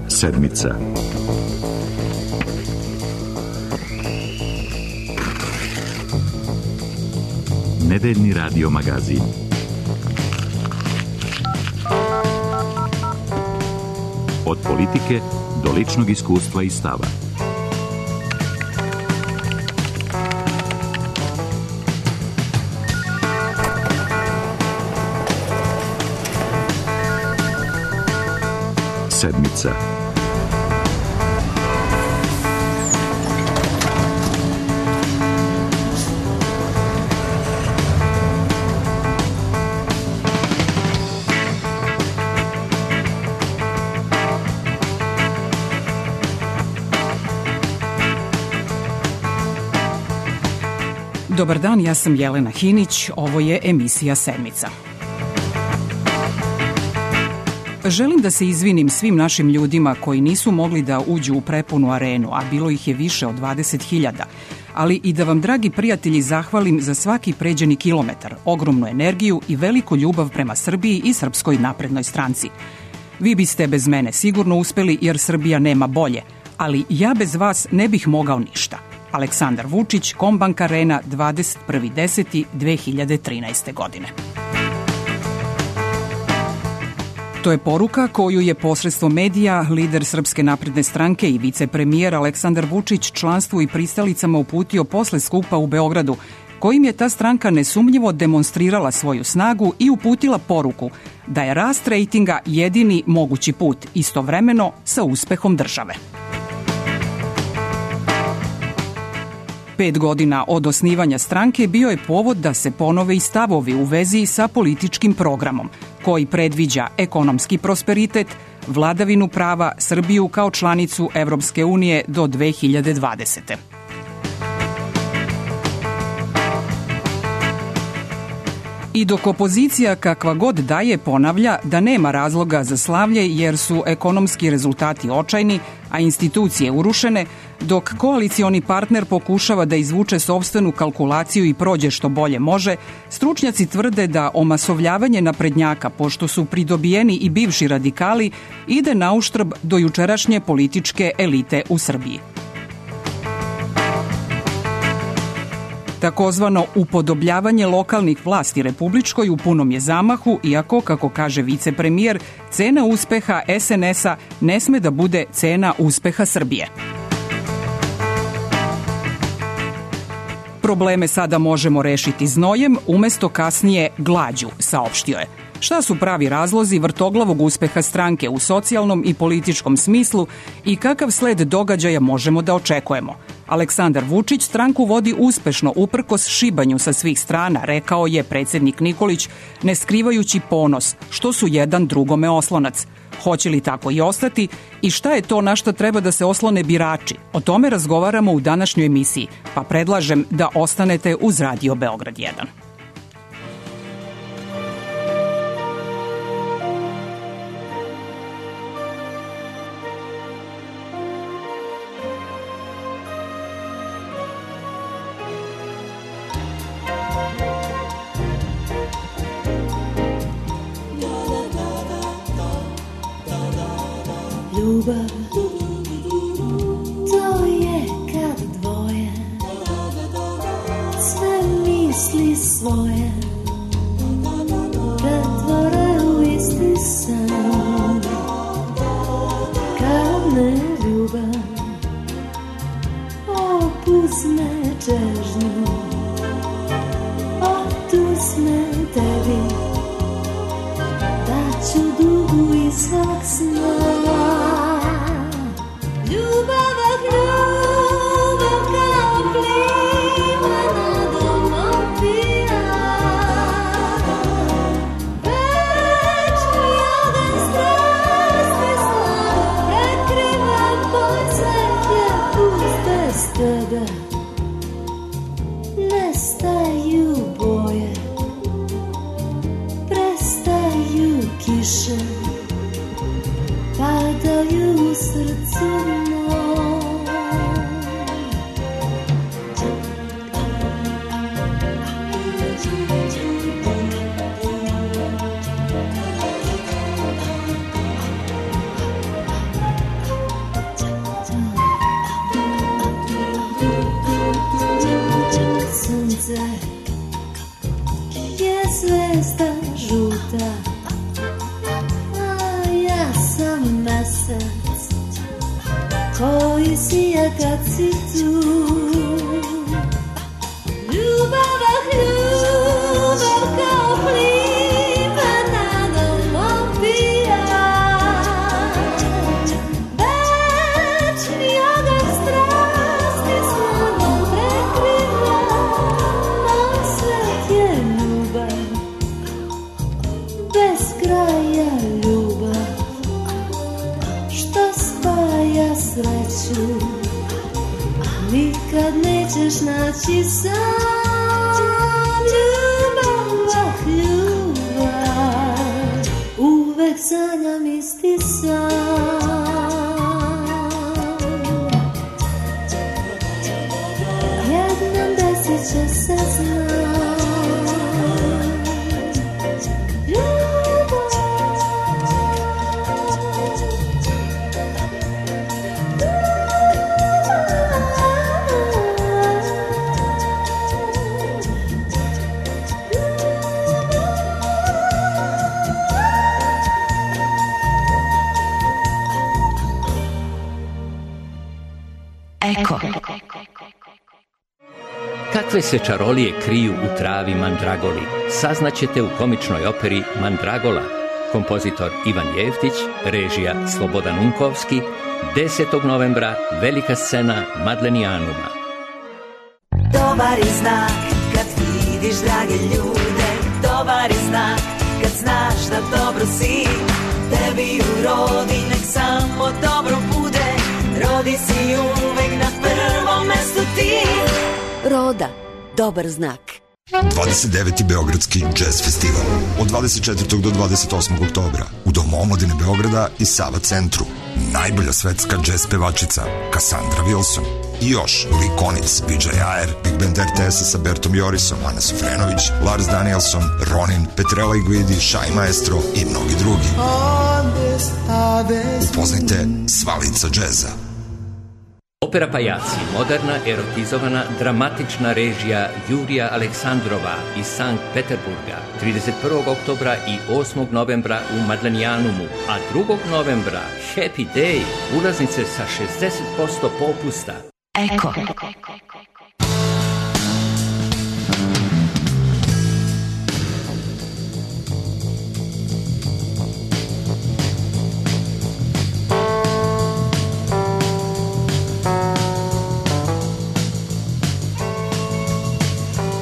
Sedmica. Nedeljni radio magazin. Od politike do ličnog iskustva i stava. Sedmica. Dobar dan, ja sam Jelena Hinić, ovo je emisija Sedmica. Želim da se izvinim svim našim ljudima koji nisu mogli da uđu u prepunu arenu, a bilo ih je više od 20.000, ali i da vam, dragi prijatelji, zahvalim za svaki pređeni kilometar, ogromnu energiju i veliku ljubav prema Srbiji i Srpskoj naprednoj stranci. Vi biste bez mene sigurno uspeli jer Srbija nema bolje, ali ja bez vas ne bih mogao ništa. Aleksandar Vučić, Kombank Arena, 21.10.2013. godine. To je poruka koju je posredstvom medija lider Srpske napredne stranke i vicepremijer Aleksandar Vučić članstvu i pristalicama uputio posle skupa u Beogradu, kojim je ta stranka nesumnjivo demonstrirala svoju snagu i uputila poruku da je rast rejtinga jedini mogući put, istovremeno sa uspehom države. 5 godina od osnivanja stranke bio je povod da se ponove i stavovi u vezi sa političkim programom, koji predviđa ekonomski prosperitet, vladavinu prava, Srbiju kao članicu Evropske unije do 2020. I dok opozicija kakva god daje ponavlja da nema razloga za slavlje jer su ekonomski rezultati očajni, a institucije urušene, dok koalicioni partner pokušava da izvuče sopstvenu kalkulaciju i prođe što bolje može, stručnjaci tvrde da omasovljavanje naprednjaka, pošto su pridobijeni i bivši radikali, ide na uštrb do jučerašnje političke elite u Srbiji. Takozvano upodobljavanje lokalnih vlasti republičkoj u punom je zamahu, iako, kako kaže vicepremijer, cena uspeha SNS-a ne sme da bude cena uspeha Srbije. Probleme sada možemo rešiti znojem, umesto kasnije glađu, saopštio je. Šta su pravi razlozi vrtoglavog uspeha stranke u socijalnom i političkom smislu i kakav sled događaja možemo da očekujemo? Aleksandar Vučić stranku vodi uspešno uprkos šibanju sa svih strana, rekao je predsednik Nikolić, ne skrivajući ponos, što su jedan drugome oslonac. Hoće li tako i ostati i šta je to na što treba da se oslone birači? O tome razgovaramo u današnjoj emisiji, pa predlažem da ostanete uz Radio Beograd 1. Ljubav, to je kad dvoje sve misli svoje pretvore u isti san. Kad me ljubav opuzme čežnju, oduzme tebi, daću dugu i svog sna. Nestaju boje, prestaju kiše, padaju u srcu moj. ljuta, a ja sam mesec koji sija kad si tu. Ljubav kao plime nadom opija, večni oganj strasti snagom prekriva, moj svet je ljubav, bez kraja ljubav, što spaja sreću, nikad nećeš naći sam. Uvek sanjam isti san. Jednom desit će se znam. Eko. Kakve se čarolije kriju u travi mandragoli, saznaćete u komičnoj operi Mandragola. Kompozitor Ivan Jeftić, režija Slobodan Unkovski, 10. novembra, velika scena Madlenijanuma. Dobar je znak kad vidiš drage ljude, dobar je znak kad znaš da dobro si, tebi urodi nek samo dobro bude. Rodi si uvek na prvom mestu ti. Roda, dobar znak. 29. Beogradski jazz festival od 24. do 28. oktobra u Domu omladine Beograda i Sava centru. Najbolja svetska jazz pevačica Cassandra Wilson i još Likonic, PJ Ayer, Big Band RTS-a sa Bertom Jorisom, Ana Sofrenović, Lars Danielson, Ronin, Petrella Iguidi, Shai Maestro i mnogi drugi. Upoznajte sva lica džeza. Opera Pajaci, moderna, erotizovana, dramatična režija Jurija Aleksandrova iz Sankt Peterburga, 31. oktobra i 8. novembra u Madlenijanumu, a 2. novembra Happy Day, ulaznice sa 60% popusta. Eko.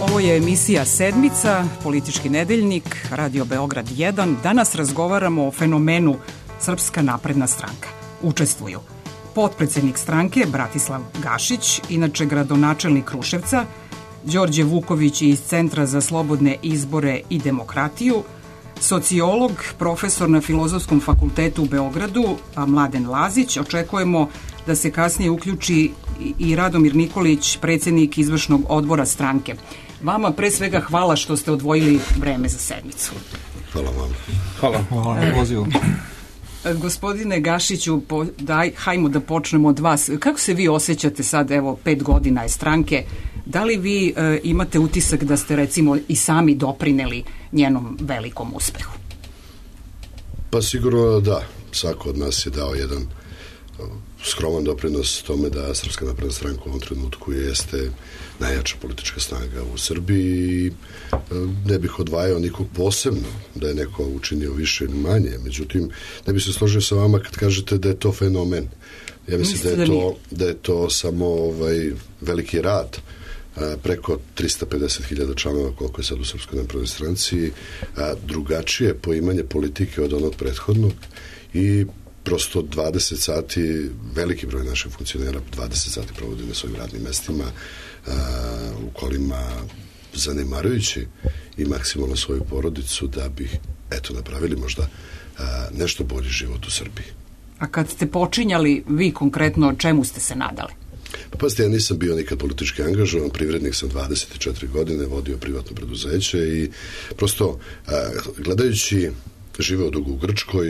Ovo je emisija Sedmica, politički nedeljnik, Radio Beograd 1. Danas razgovaramo o fenomenu Srpska napredna stranka. Učestvuju potpredsednik stranke Bratislav Gašić, inače gradonačelnik Kruševca, Đorđe Vuković iz Centra za slobodne izbore i demokratiju, sociolog, profesor na Filozofskom fakultetu u Beogradu, Mladen Lazić. Očekujemo da se kasnije uključi i Radomir Nikolić, predsednik izvršnog odbora stranke. Vama pre svega hvala što ste odvojili vreme za sedmicu. Hvala vam. Hvala na pozivu. Gospodine Gašiću, hajmo da počnemo od vas. Kako se vi osjećate sad, evo, 5 godina je stranke? Da li vi imate utisak da ste, recimo, i sami doprineli njenom velikom uspehu? Pa sigurno da. Svako od nas je dao jedan skroman doprinos tome da Srpska napredna stranka u ovom trenutku jeste najjača politička snaga u Srbiji. Ne bih odvajao nikog posebno da je neko učinio više ili manje, međutim ne bih se složio sa vama kad kažete da je to fenomen. Ja mislim da je to samo veliki rad preko 350.000 članova koliko je sad u Srpskoj naprednoj stranci, drugačije poimanje politike od onog prethodnog i prosto 20 sati, veliki broj naših funkcionera 20 sati provodi na svojim radnim mestima u kolima zanemarujući i maksimalno svoju porodicu da bi napravili možda nešto bolji život u Srbiji. A kad ste počinjali, vi konkretno čemu ste se nadali? Pa pazite, ja nisam bio nikad politički angažovan, privrednik sam 24 godine, vodio privatno preduzeće i prosto gledajući, živeo dugo u Grčkoj,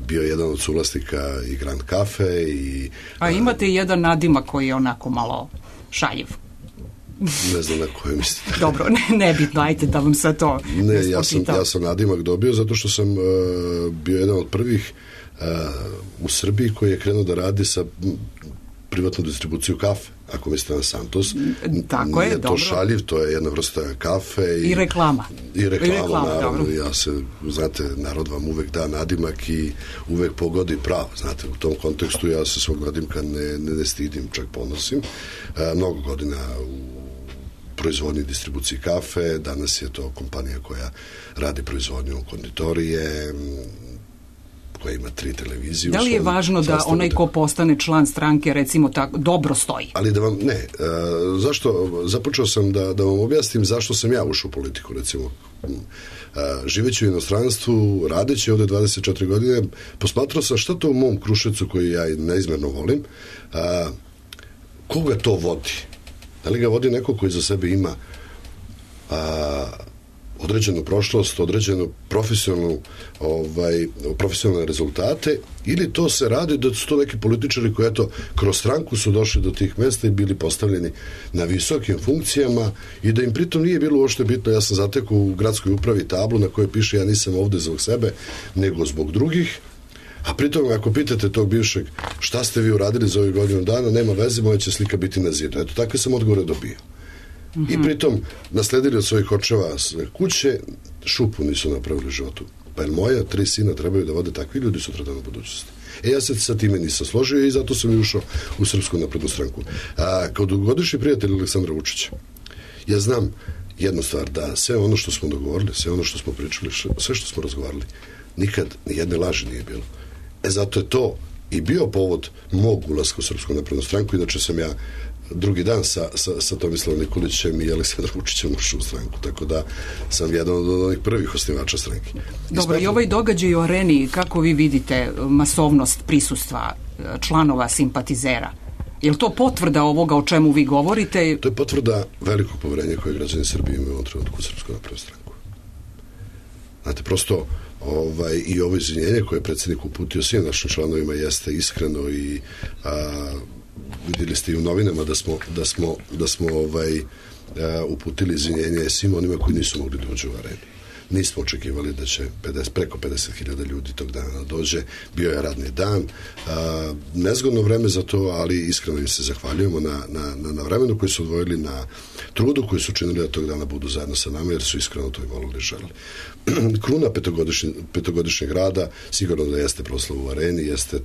bio jedan od suvlasnika i Grand Cafe i... A imate jedan nadimak koji je onako malo šaljiv. Ne znam na koje mislite. Dobro, nebitno, ajte da vam sad to ne, ja sam nadimak dobio zato što sam bio jedan od prvih u Srbiji koji je krenuo da radi sa privatnu distribuciju kafe, ako mislite na Santos. Tako je, dobro. Nije to šaljiv, to je jedna vrsta kafe. I reklama. I reklama, naravno. Znate, narod vam uvek da nadimak i uvek pogodi pravo. Znate, u tom kontekstu ja se svog nadimka ne stidim, čak ponosim. Mnogo godina u proizvodnji distribuciji kafe, danas je to kompanija koja radi proizvodnju konditorije, koja ima 3 televizije. Da li je važno da onaj ko postane član stranke, recimo, tako dobro stoji? Ali da vam, zašto, započeo sam da vam objasnim zašto sam ja ušao u politiku, recimo. Živeći u inostranstvu, radeći ovde 24 godine, posmatrao sam šta to u mom Kruševcu, koji ja neizmerno volim, koga to vodi? Da li ga vodi neko koji za sebe ima određenu prošlost, određenu profesionalne rezultate, ili to se radi da su to neki političari koji kroz stranku su došli do tih mesta i bili postavljeni na visokim funkcijama i da im pritom nije bilo uopšte bitno. Ja sam zatekao u gradskoj upravi tablu na kojoj piše ja nisam ovde zbog sebe, nego zbog drugih. A pritom, ako pitate tog bivšeg šta ste vi uradili za ovih godinu dana, nema veze, moja će slika biti na zidu. Eto, takve sam odgovore dobio. I pritom nasledili od svojih očeva sve kuće, šupu nisu napravili u životu. Pa jer moja 3 sina trebaju da vode takvi ljudi sutradan u budućnosti. Ja se sa time nisam složio i zato sam i ušao u Srpsku naprednu stranku. Kao dugogodišnji prijatelj Aleksandra Vučića, ja znam jednu stvar, da sve ono što smo dogovorili, sve ono što smo pričali, sve što smo razgovarali, nikad ni jedne laži nije bilo. Zato je to i bio povod mog ulaska u Srpsku naprednu stranku, inače sam ja drugi dan sa Tomislavom Nikolićem i Aleksandrom Vučićem ušao u stranku, tako da sam jedan od onih prvih osnivača stranke. Dobro, i ovaj događaj u Areni, kako vi vidite masovnost prisustva članova, simpatizera? Je li to potvrda ovoga o čemu vi govorite? To je potvrda velikog poverenja koje građani Srbije imaju u ovom trenutku u Srpsku naprednu stranku. Znate, prosto i ovo izvinjenje koje je predsjednik uputio svim našim članovima jeste iskreno i vidjeli ste i u novinama da smo uputili izvinjenje svim onima koji nisu mogli doći u Arenu. Nismo očekivali da će preko 50.000 ljudi tog dana dođe. Bio je radni dan. Nezgodno vreme za to, ali iskreno im se zahvaljujemo na vremenu koji su odvojili, na trudu koji su činili da tog dana budu zajedno sa nama, jer su iskreno to i volili i želeli. Kruna petogodišnjeg rada sigurno da jeste proslav u Areni, jeste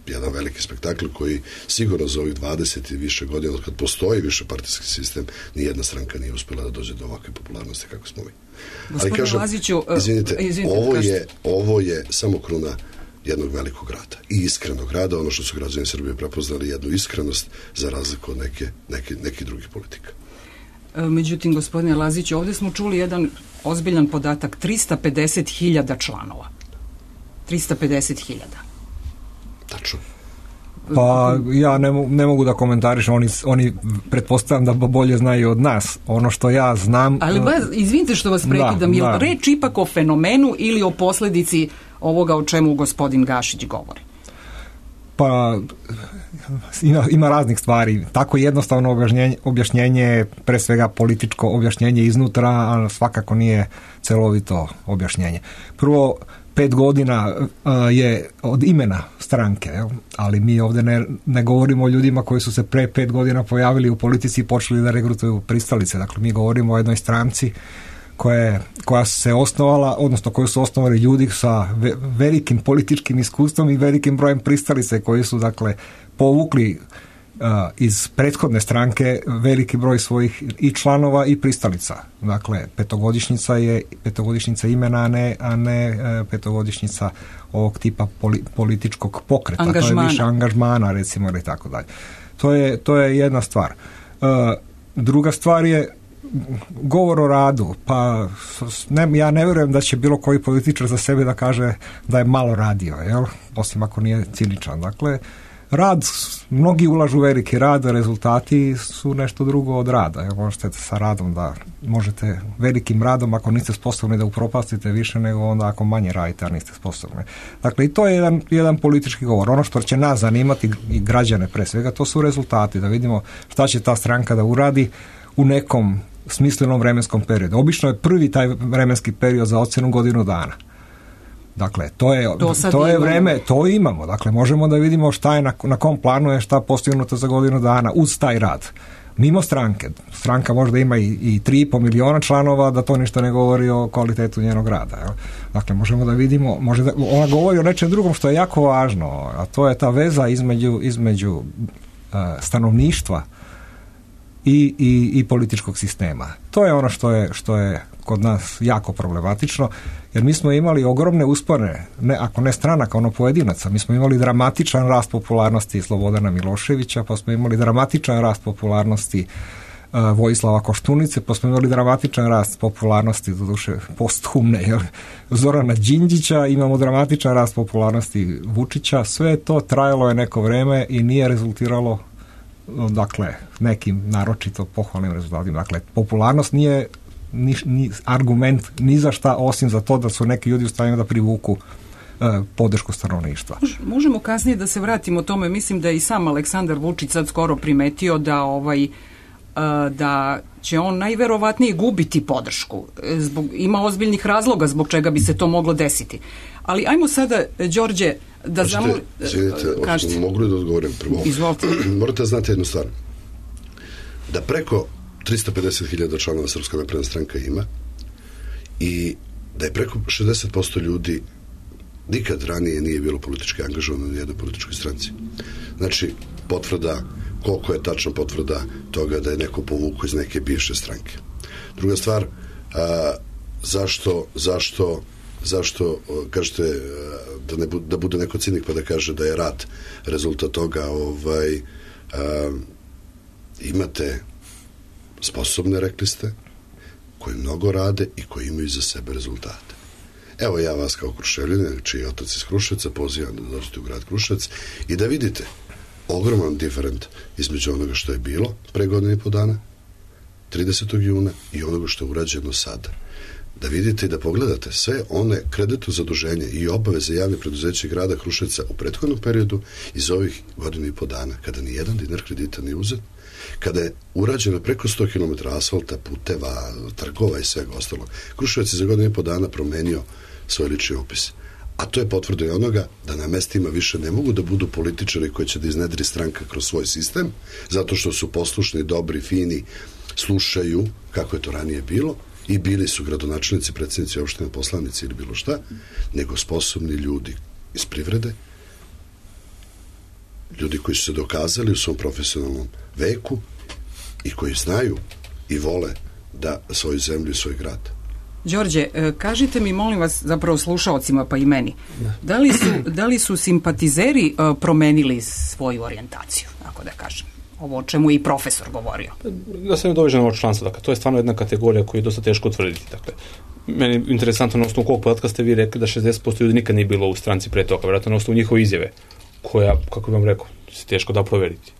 jedan veliki spektakl koji sigurno za ovih 20 i više godina, od kad postoji više partijski sistem, nijedna stranka nije uspjela da dođe do ovakve popularnosti kako smo mi. Ali kažem, izvinite, ovo je samo kruna jednog velikog rada i iskrenog rada, ono što su građani Srbije prepoznali, jednu iskrenost za razliku od nekih drugih politika. Međutim, gospodine Laziću, ovdje smo čuli jedan ozbiljan podatak, 350.000 članova. 350.000. Tačno. Pa ja ne mogu da komentarišem, oni pretpostavljam da bolje znaju od nas. Ono što ja znam... Ali izvinite što vas prekidam, je li reč ipak o fenomenu ili o posljedici ovoga o čemu gospodin Gašić govori? Pa ima raznih stvari. Tako jednostavno objašnjenje je pre svega političko objašnjenje iznutra, a svakako nije celovito objašnjenje. Prvo, 5 godina je od imena stranke, ali mi ovdje ne govorimo o ljudima koji su se pre 5 godina pojavili u politici i počeli da regrutuju pristalice. Dakle, mi govorimo o jednoj stranci koja se osnovala, odnosno koju su osnovali ljudi sa velikim političkim iskustvom i velikim brojem pristalice koji su, dakle, povukli iz prethodne stranke veliki broj svojih i članova i pristalica. Dakle, petogodišnjica imena, a ne petogodišnjica ovog tipa političkog pokreta. Angažmana. To je više angažmana, recimo, ili tako dalje. To je jedna stvar. Druga stvar je govor o radu. Pa ja ne vjerujem da će bilo koji političar za sebe da kaže da je malo radio, osim ako nije ciničan. Dakle, rad, mnogi ulažu veliki rad, rezultati su nešto drugo od rada. Možete sa radom da možete velikim radom, ako niste sposobni da upropastite više nego onda ako manje radite, a niste sposobni. Dakle, i to je jedan politički govor. Ono što će nas zanimati i građane pre svega, to su rezultati, da vidimo šta će ta stranka da uradi u nekom smislenom vremenskom periodu. Obično je prvi taj vremenski period za ocjenu godinu dana. Dakle, to je vreme, to imamo. Dakle, možemo da vidimo šta je na kom planu je šta postignuto za godinu dana uz taj rad. Mimo stranke. Stranka možda ima i 3,5 miliona članova, da to ništa ne govori o kvalitetu njenog rada. Jel? Dakle, možemo da vidimo, ona govori o nečem drugom što je jako važno, a to je ta veza između stanovništva i političkog sistema. To je ono što je kod nas jako problematično, jer mi smo imali ogromne uspone, ako ne stranaka, ono pojedinaca. Mi smo imali dramatičan rast popularnosti Slobodana Miloševića, pa smo imali dramatičan rast popularnosti Vojislava Koštunice, pa smo imali dramatičan rast popularnosti, doduše posthumne, Zorana Đinđića, imamo dramatičan rast popularnosti Vučića. Sve to trajalo je neko vreme i nije rezultiralo nekim naročito pohvalnim rezultatima. Dakle, popularnost nije ni argument ni za šta osim za to da su neki ljudi u stanju da privuku podršku stanovništva. Možemo kasnije da se vratimo tome. Mislim da je i sam Aleksandar Vučić sad skoro primetio da će on najverovatnije gubiti podršku. Ima ozbiljnih razloga zbog čega bi se to moglo desiti. Ali ajmo sada, Đorđe, da Izvinite, mogu li da odgovorim prvo? Izvolite. Morate znati jednu stvar. Da preko 350.000 članova Srpska napredna stranka ima i da je preko 60% ljudi nikad ranije nije bilo politički angažovano na jednoj političkoj stranci. Znači, potvrda, koliko je tačna potvrda toga da je neko povukao iz neke bivše stranke. Druga stvar, zašto kažete da bude neko cinik pa da kaže da je rat rezultat toga, imate sposobne, rekli ste, koji mnogo rade i koji imaju za sebe rezultate. Evo ja vas kao Kruševljane, čiji je otac iz Kruševca, pozivam da dođete u grad Kruševac i da vidite ogroman diferent između onoga što je bilo pre godinu i po dana, 30. juna, i onoga što je urađeno sada. Da vidite i da pogledate sve one kreditno zaduženje i obaveze javne preduzeće grada Kruševca u prethodnom periodu iz ovih godinu i po dana, kada ni jedan dinar kredita nije uzet, kada je urađeno preko 100 km asfalta, puteva, trgova i svega ostalog. Kruševac je za godinu i po dana promenio svoj lični opis. A to je potvrda i onoga da na mestima više ne mogu da budu političari koji će da iznedri stranka kroz svoj sistem, zato što su poslušni, dobri, fini, slušaju kako je to ranije bilo i bili su gradonačelnici, predsjednici opštine, poslanici ili bilo šta, nego sposobni ljudi iz privrede, ljudi koji su se dokazali u svom profesionalnom veku i koji znaju i vole da svoju zemlju i svoj grad. Đorđe, kažite mi, molim vas, zapravo slušaocima pa i meni, da li su simpatizeri promenili svoju orijentaciju, ako da kažem? Ovo o čemu je i profesor govorio. Da se ne dovežem od članstva, dakle, to je stvarno jedna kategorija koju je dosta teško utvrditi. Dakle, meni je interesantno na osnovu kog podatka ste vi rekli da 60% ljudi nikad nije bilo u stranci pre toga, vjerojatno na osnovu njihove izjave, koja, kako bih vam rekao, se teško da proveriti.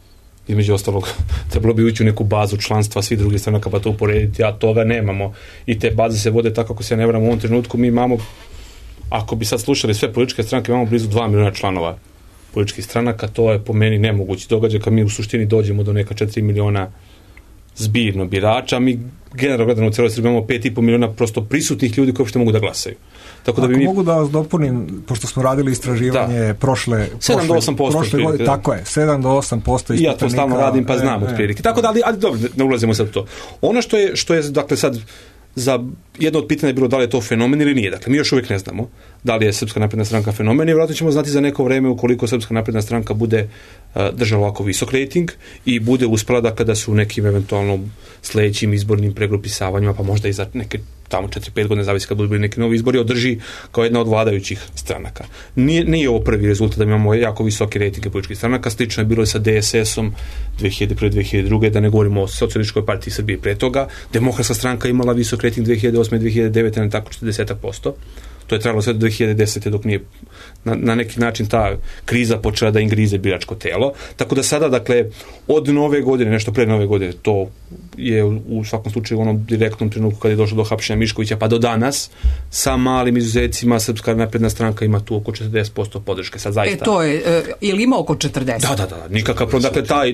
Između ostalog, trebalo bi ući u neku bazu članstva svih drugih stranaka pa to uporediti, a toga nemamo. I te baze se vode tako, kako se ne varam, u ovom trenutku mi imamo, ako bi sad slušali sve političke stranke, imamo blizu 2 miliona članova političkih stranaka, to je po meni nemogući događaj kad mi u suštini dođemo do neka 4 miliona zbirno birača, mi generalno gledano u celoj Srbiji imamo 5,5 miliona prosto prisutnih ljudi koji uopšte mogu da glasaju. Tako da ako mogu da vas dopunim, pošto smo radili istraživanje prošle 7 do 8% godine, tako je, 7 do 8% i ja to stalno radim pa znam otprilike. Tako da, ali dobro, ne ulazimo sad u to. Ono što je dakle sad za jedno od pitanja je bilo da li je to fenomen ili nije. Dakle, mi još uvijek ne znamo da li je Srpska napredna stranka fenomen i vjerojatno ćemo znati za neko vreme ukoliko Srpska napredna stranka bude držala ovako visok rejting i bude uspela da kada su u nekim eventualno sledećim izbornim pregrupisavanjima, pa možda i za neke tamo 4-5 godine, zavisi kad budu bili neki novi izbori, održi kao jedna od vladajućih stranaka. Nije ovo prvi rezultat da imamo jako visoke rejtinge političkih stranaka, slično je bilo i sa DSS-om 2001-2002, da ne govorimo o Socijalističkoj partiji Srbije pre toga. Demokratska stranka imala visok rejting 2008-2009, na tako 40%. To je trajalo sve do 2010. dok nije na neki način ta kriza počela da im grize biračko telo. Tako da sada, dakle, od nove godine, nešto pre nove godine, to je u svakom slučaju u onom direktnom trenutku kad je došlo do hapšenja Miškovića, pa do danas, sa malim izuzecima, Srpska napredna stranka ima tu oko 40% podrške. Sad zaista. To je, ili ima oko 40? Da, nikakav problem. Dakle,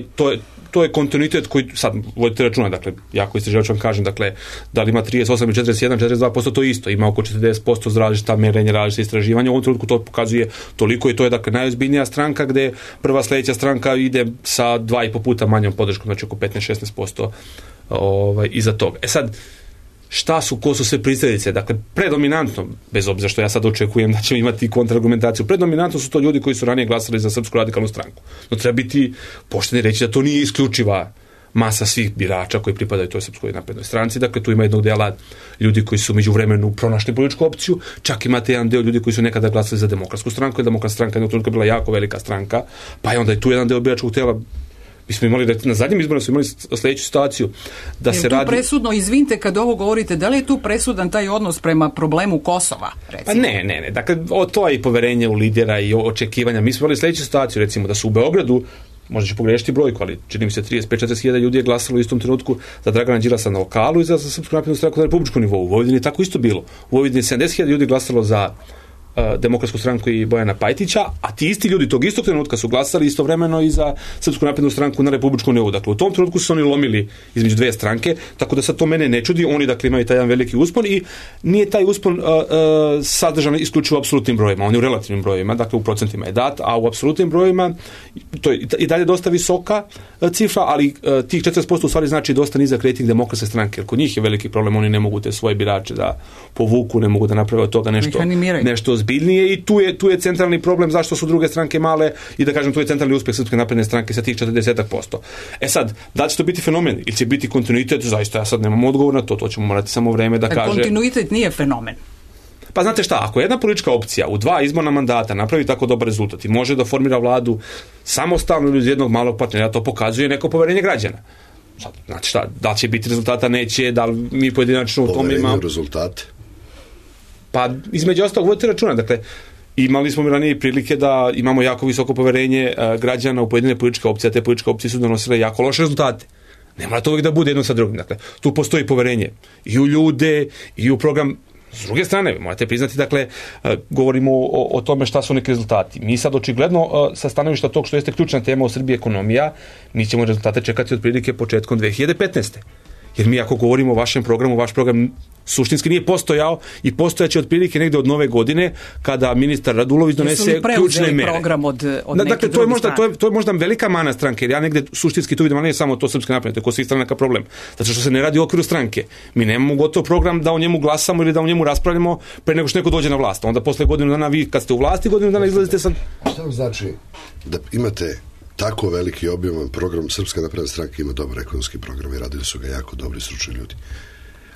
to je kontinuitet koji sad vodite računa, dakle, jako istraživač vam kažem, dakle, da li ima 38 ili 41, 42%, to isto, ima oko 40% za različita merenja, različite istraživanja, u ovom trenutku to pokazuje toliko i to je, dakle, najozbiljnija stranka gde prva sledeća stranka ide sa 2,5 puta manjom podrškom, znači oko 15-16% iza toga. Sad, ko su sve pristalice? Dakle, predominantno, bez obzira što ja sad očekujem da ćemo imati kontrargumentaciju, predominantno su to ljudi koji su ranije glasali za Srpsku radikalnu stranku. No treba biti pošteni reći da to nije isključiva masa svih birača koji pripadaju toj Srpskoj naprednoj stranci. Dakle, tu ima jednog dela ljudi koji su među vremenu pronašli političku opciju, čak imate jedan deo ljudi koji su nekada glasali za Demokratsku stranku, jer Demokratska stranka jednog trenutka bila jako velika stranka, pa je onda i tu jedan deo biračkog tela. Mi smo imali, na zadnjim izborima smo imali sljedeću situaciju da se radi... presudno, izvinite kad ovo govorite, da li je tu presudan taj odnos prema problemu Kosova, recimo? Pa ne. Dakle, to je i poverenje u lidera i očekivanja. Mi smo imali sljedeću situaciju, recimo, da su u Beogradu, možda ću pogrešiti brojku, ali čini mi se 35-40 hiljada ljudi je glasalo u istom trenutku za Dragana Đilasa na lokalu i za Srpsku naprednu stranku na republičkom nivou. U Vojvodini je tako isto bilo. U Vojvodini 70 hiljada ljudi glasalo za Demokratsku stranku i Bojana Pajtića, a ti isti ljudi tog istog trenutka su glasali istovremeno i za Srpsku naprednu stranku na republičkom nivou. Dakle, u tom trenutku su oni lomili između dve stranke, tako da sad to mene ne čudi. Oni, dakle, imaju taj jedan veliki uspon i nije taj uspon sadržan isključivo u apsolutnim brojima. On je u relativnim brojima, dakle u procentima je dat, a u apsolutnim brojima to je i dalje dosta visoka cifra, ali tih 40% u stvari znači dosta nizak rejting Demokratske stranke, jer kod njih je veliki problem, oni ne mogu te svoje birače da povuku, ne mogu da naprave od toga nešto ozbiljnije i tu je centralni problem zašto su druge stranke male i da kažem tu je centralni uspjeh Srpske napredne stranke sa tih 40%. Sad, da li će to biti fenomen ili će biti kontinuitet, zaista ja sad nemam odgovor na to ćemo morati samo vreme da kaže. Kontinuitet nije fenomen. Pa znate šta, ako jedna politička opcija u 2 izborna mandata napravi tako dobar rezultat i može da formira vladu samostalno ili uz jednog malog partnera, to pokazuje neko poverenje građana. Sad, znači šta, da li će biti rezultata, neće, da li mi pojedinačno u tome imamo... Poverenje rezultate? Pa između ostalog vodite računa, dakle, imali smo ranije prilike da imamo jako visoko poverenje građana u pojedine političke opcije, a te političke opcije su donosile jako loše rezultate. Ne mora to uvijek da bude jedno sa drugim. Dakle, tu postoji poverenje i u ljude, i u program. S druge strane, morate priznati, dakle, govorimo o tome šta su neki rezultati. Mi sad očigledno sa stanovišta tog što jeste ključna tema u Srbiji ekonomija, mi ćemo rezultate čekati otprilike početkom 2015. Jer mi ako govorimo o vašem programu, vaš program suštinski nije postojao i postojaće otprilike negde od nove godine kada ministar Radulović donese ključne mere. Program od dakle, to je možda velika mana stranke, jer ja negde suštinski tu vidim, ali nije samo to Srpska napredna, to je kod svih stranaka problem. Zato što se ne radi u okviru stranke. Mi nemamo gotov program da o njemu glasamo ili da o njemu raspravljamo pre nego što neko dođe na vlast. Onda posle godinu dana vi kad ste u vlasti, godinu dana izlazite sa... Šta vam znači da imate tako veliki objeman program? Srpska napredna stranka ima dobar ekonomski program i radili su ga jako dobri stručni ljudi.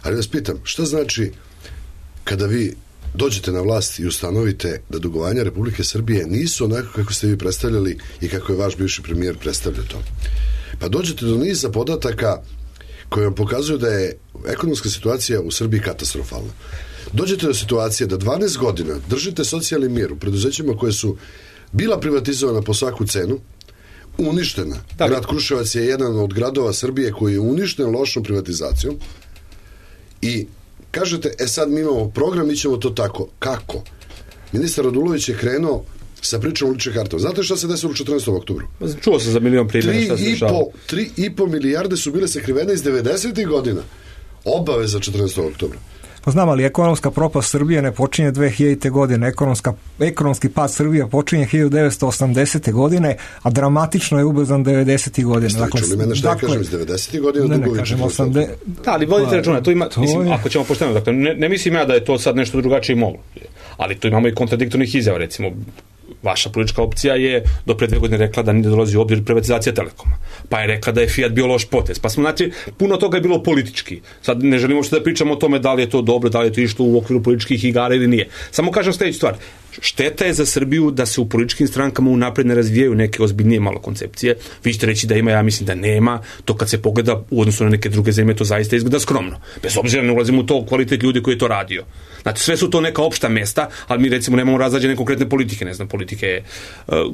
Ali vas pitam, šta znači kada vi dođete na vlast i ustanovite da dugovanja Republike Srbije nisu onako kako ste vi predstavljali i kako je vaš bivši premijer predstavljao to? Pa dođete do niza podataka koji vam pokazuju da je ekonomska situacija u Srbiji katastrofalna. Dođete do situacije da 12 godina držite socijalni mir u preduzećima koje su bila privatizovana po svaku cenu, uništena. Grad Kruševac je jedan od gradova Srbije koji je uništen lošom privatizacijom i kažete, sad mi imamo program, mi ćemo to tako. Kako? Ministar Radulović je krenuo sa pričom o ličnim kartama. Znate šta se desilo u 14. oktobru? Čuo sam za milion primjera šta se dešava. 3,5 milijarde su bile sakrivene iz 90. godina. Obave za 14. oktobra. Pa znam, ali ekonomska propast Srbije ne počinje 2000. godine. Ekonomski pad Srbije počinje 1980. godine, a dramatično je ubrzan 90. godine. Dakle, čuli mene šta kažem iz 90. godine? Ne kažem 80. Da, ali vodite računa, mislim, ako ćemo pošteno, dakle, ne mislim ja da je to sad nešto drugačije moglo. Ali tu imamo i kontradiktornih izjava, recimo, vaša politička opcija je do pre 2 godine rekla da nije dolazi u obzir privatizacija Telekoma. Pa je rekla da je Fiat bio loš potez. Pa smo, znači, puno toga je bilo politički. Sad ne želimo što da pričamo o tome da li je to dobro, da li je to išlo u okviru političkih igara ili nije. Samo kažem sljedeću stvar. Šteta je za Srbiju da se u političkim strankama unapred ne razvijaju neke ozbiljnije malo koncepcije. Vi ćete reći da ima, ja mislim da nema. To kad se pogleda u odnosu na neke druge zemlje, to zaista izgleda skromno. Bez obzira ne ulazimo u to kvalitet ljudi koji je to radio. Znači, sve su to neka opšta mesta, ali mi recimo nemamo razrađene konkretne politike, ne znam, politike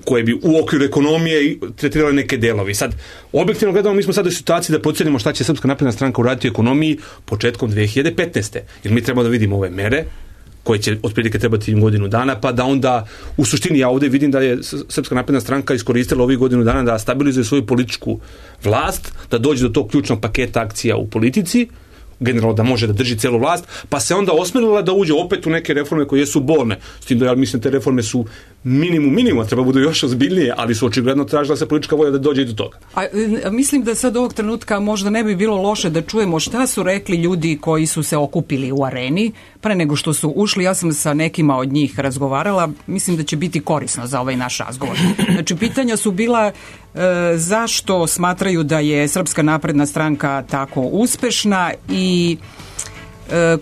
koje bi u okviru ekonomije tretirale neke delovi. Sad, objektivno gledamo, mi smo sad u situaciji da procenimo šta će Srpska napredna stranka uraditi u ekonomiji početkom 2015. Jer mi trebamo da vidimo ove mere, koje će otprilike trebati im godinu dana, pa da onda u suštini ja ovdje vidim da je Srpska napredna stranka iskoristila ovih godinu dana da stabilizuje svoju političku vlast, da dođe do tog ključnog paketa akcija u politici, generalno da može da drži celu vlast, pa se onda osmelila da uđe opet u neke reforme koje su bolne. S tim da ja mislim te reforme su minimum, treba budu još ozbiljnije, ali su očigledno tražila se politička volja da dođe i do toga. Mislim da sad ovog trenutka možda ne bi bilo loše da čujemo šta su rekli ljudi koji su se okupili u Areni pre nego što su ušli. Ja sam sa nekima od njih razgovarala, mislim da će biti korisno za ovaj naš razgovor. Znači, pitanja su bila zašto smatraju da je Srpska napredna stranka tako uspešna i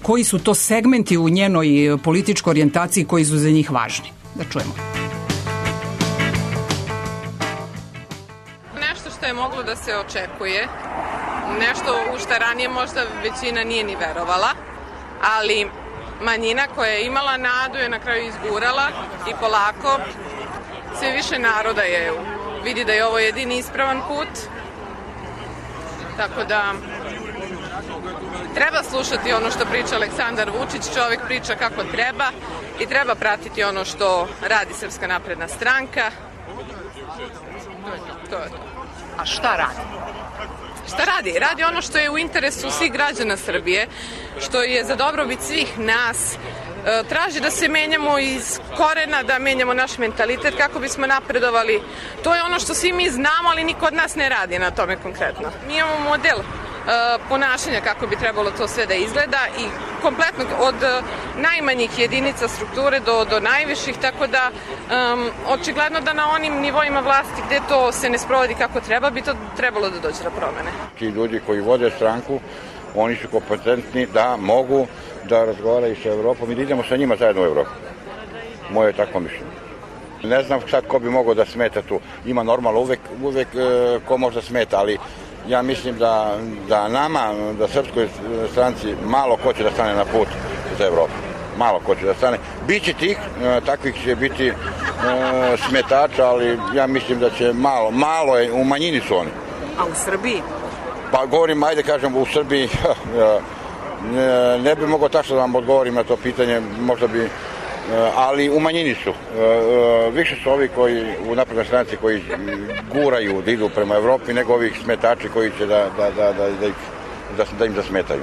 koji su to segmenti u njenoj političkoj orijentaciji koji su za njih važni. Da čujemo. Nešto što je moglo da se očekuje, nešto u što ranije možda većina nije ni verovala, ali manjina koja je imala nadu je na kraju izgurala i polako sve više naroda je vidi da je ovo jedini ispravan put, tako da treba slušati ono što priča Aleksandar Vučić, čovjek priča kako treba i treba pratiti ono što radi Srpska napredna stranka. To je to. A šta radi? Šta radi? Radi ono što je u interesu svih građana Srbije, što je za dobrobit svih nas. Traži da se menjamo iz korena, da menjamo naš mentalitet kako bismo napredovali. To je ono što svi mi znamo, ali niko od nas ne radi na tome konkretno. Mi imamo model ponašanja kako bi trebalo to sve da izgleda i kompletno od najmanjih jedinica strukture do najviših, tako da očigledno da na onim nivoima vlasti gde to se ne sprovodi kako treba, bi to trebalo da dođe do promene. Ti ljudi koji vode stranku, oni su kompetentni da mogu da razgovaraju sa Evropom i da idemo sa njima zajedno u Evropu. Moje je tako mišljenje. Ne znam sad ko bi mogao da smeta tu. Ima normalno uvek ko možda smeta, ali ja mislim da nama, da Srpskoj stranci malo ko će da stane na put za Evropu. Malo ko će da stane. Biće takvih će biti smetača, ali ja mislim da će malo je, u manjini su oni. A u Srbiji? Pa govorim, ajde kažem, u Srbiji ne bi mogao tačno da vam odgovorim na to pitanje, možda bi, ali u manjini su. Više su ovi koji u naprednoj stranci koji guraju da idu prema Evropi nego ovih smetači koji će da im zasmetaju.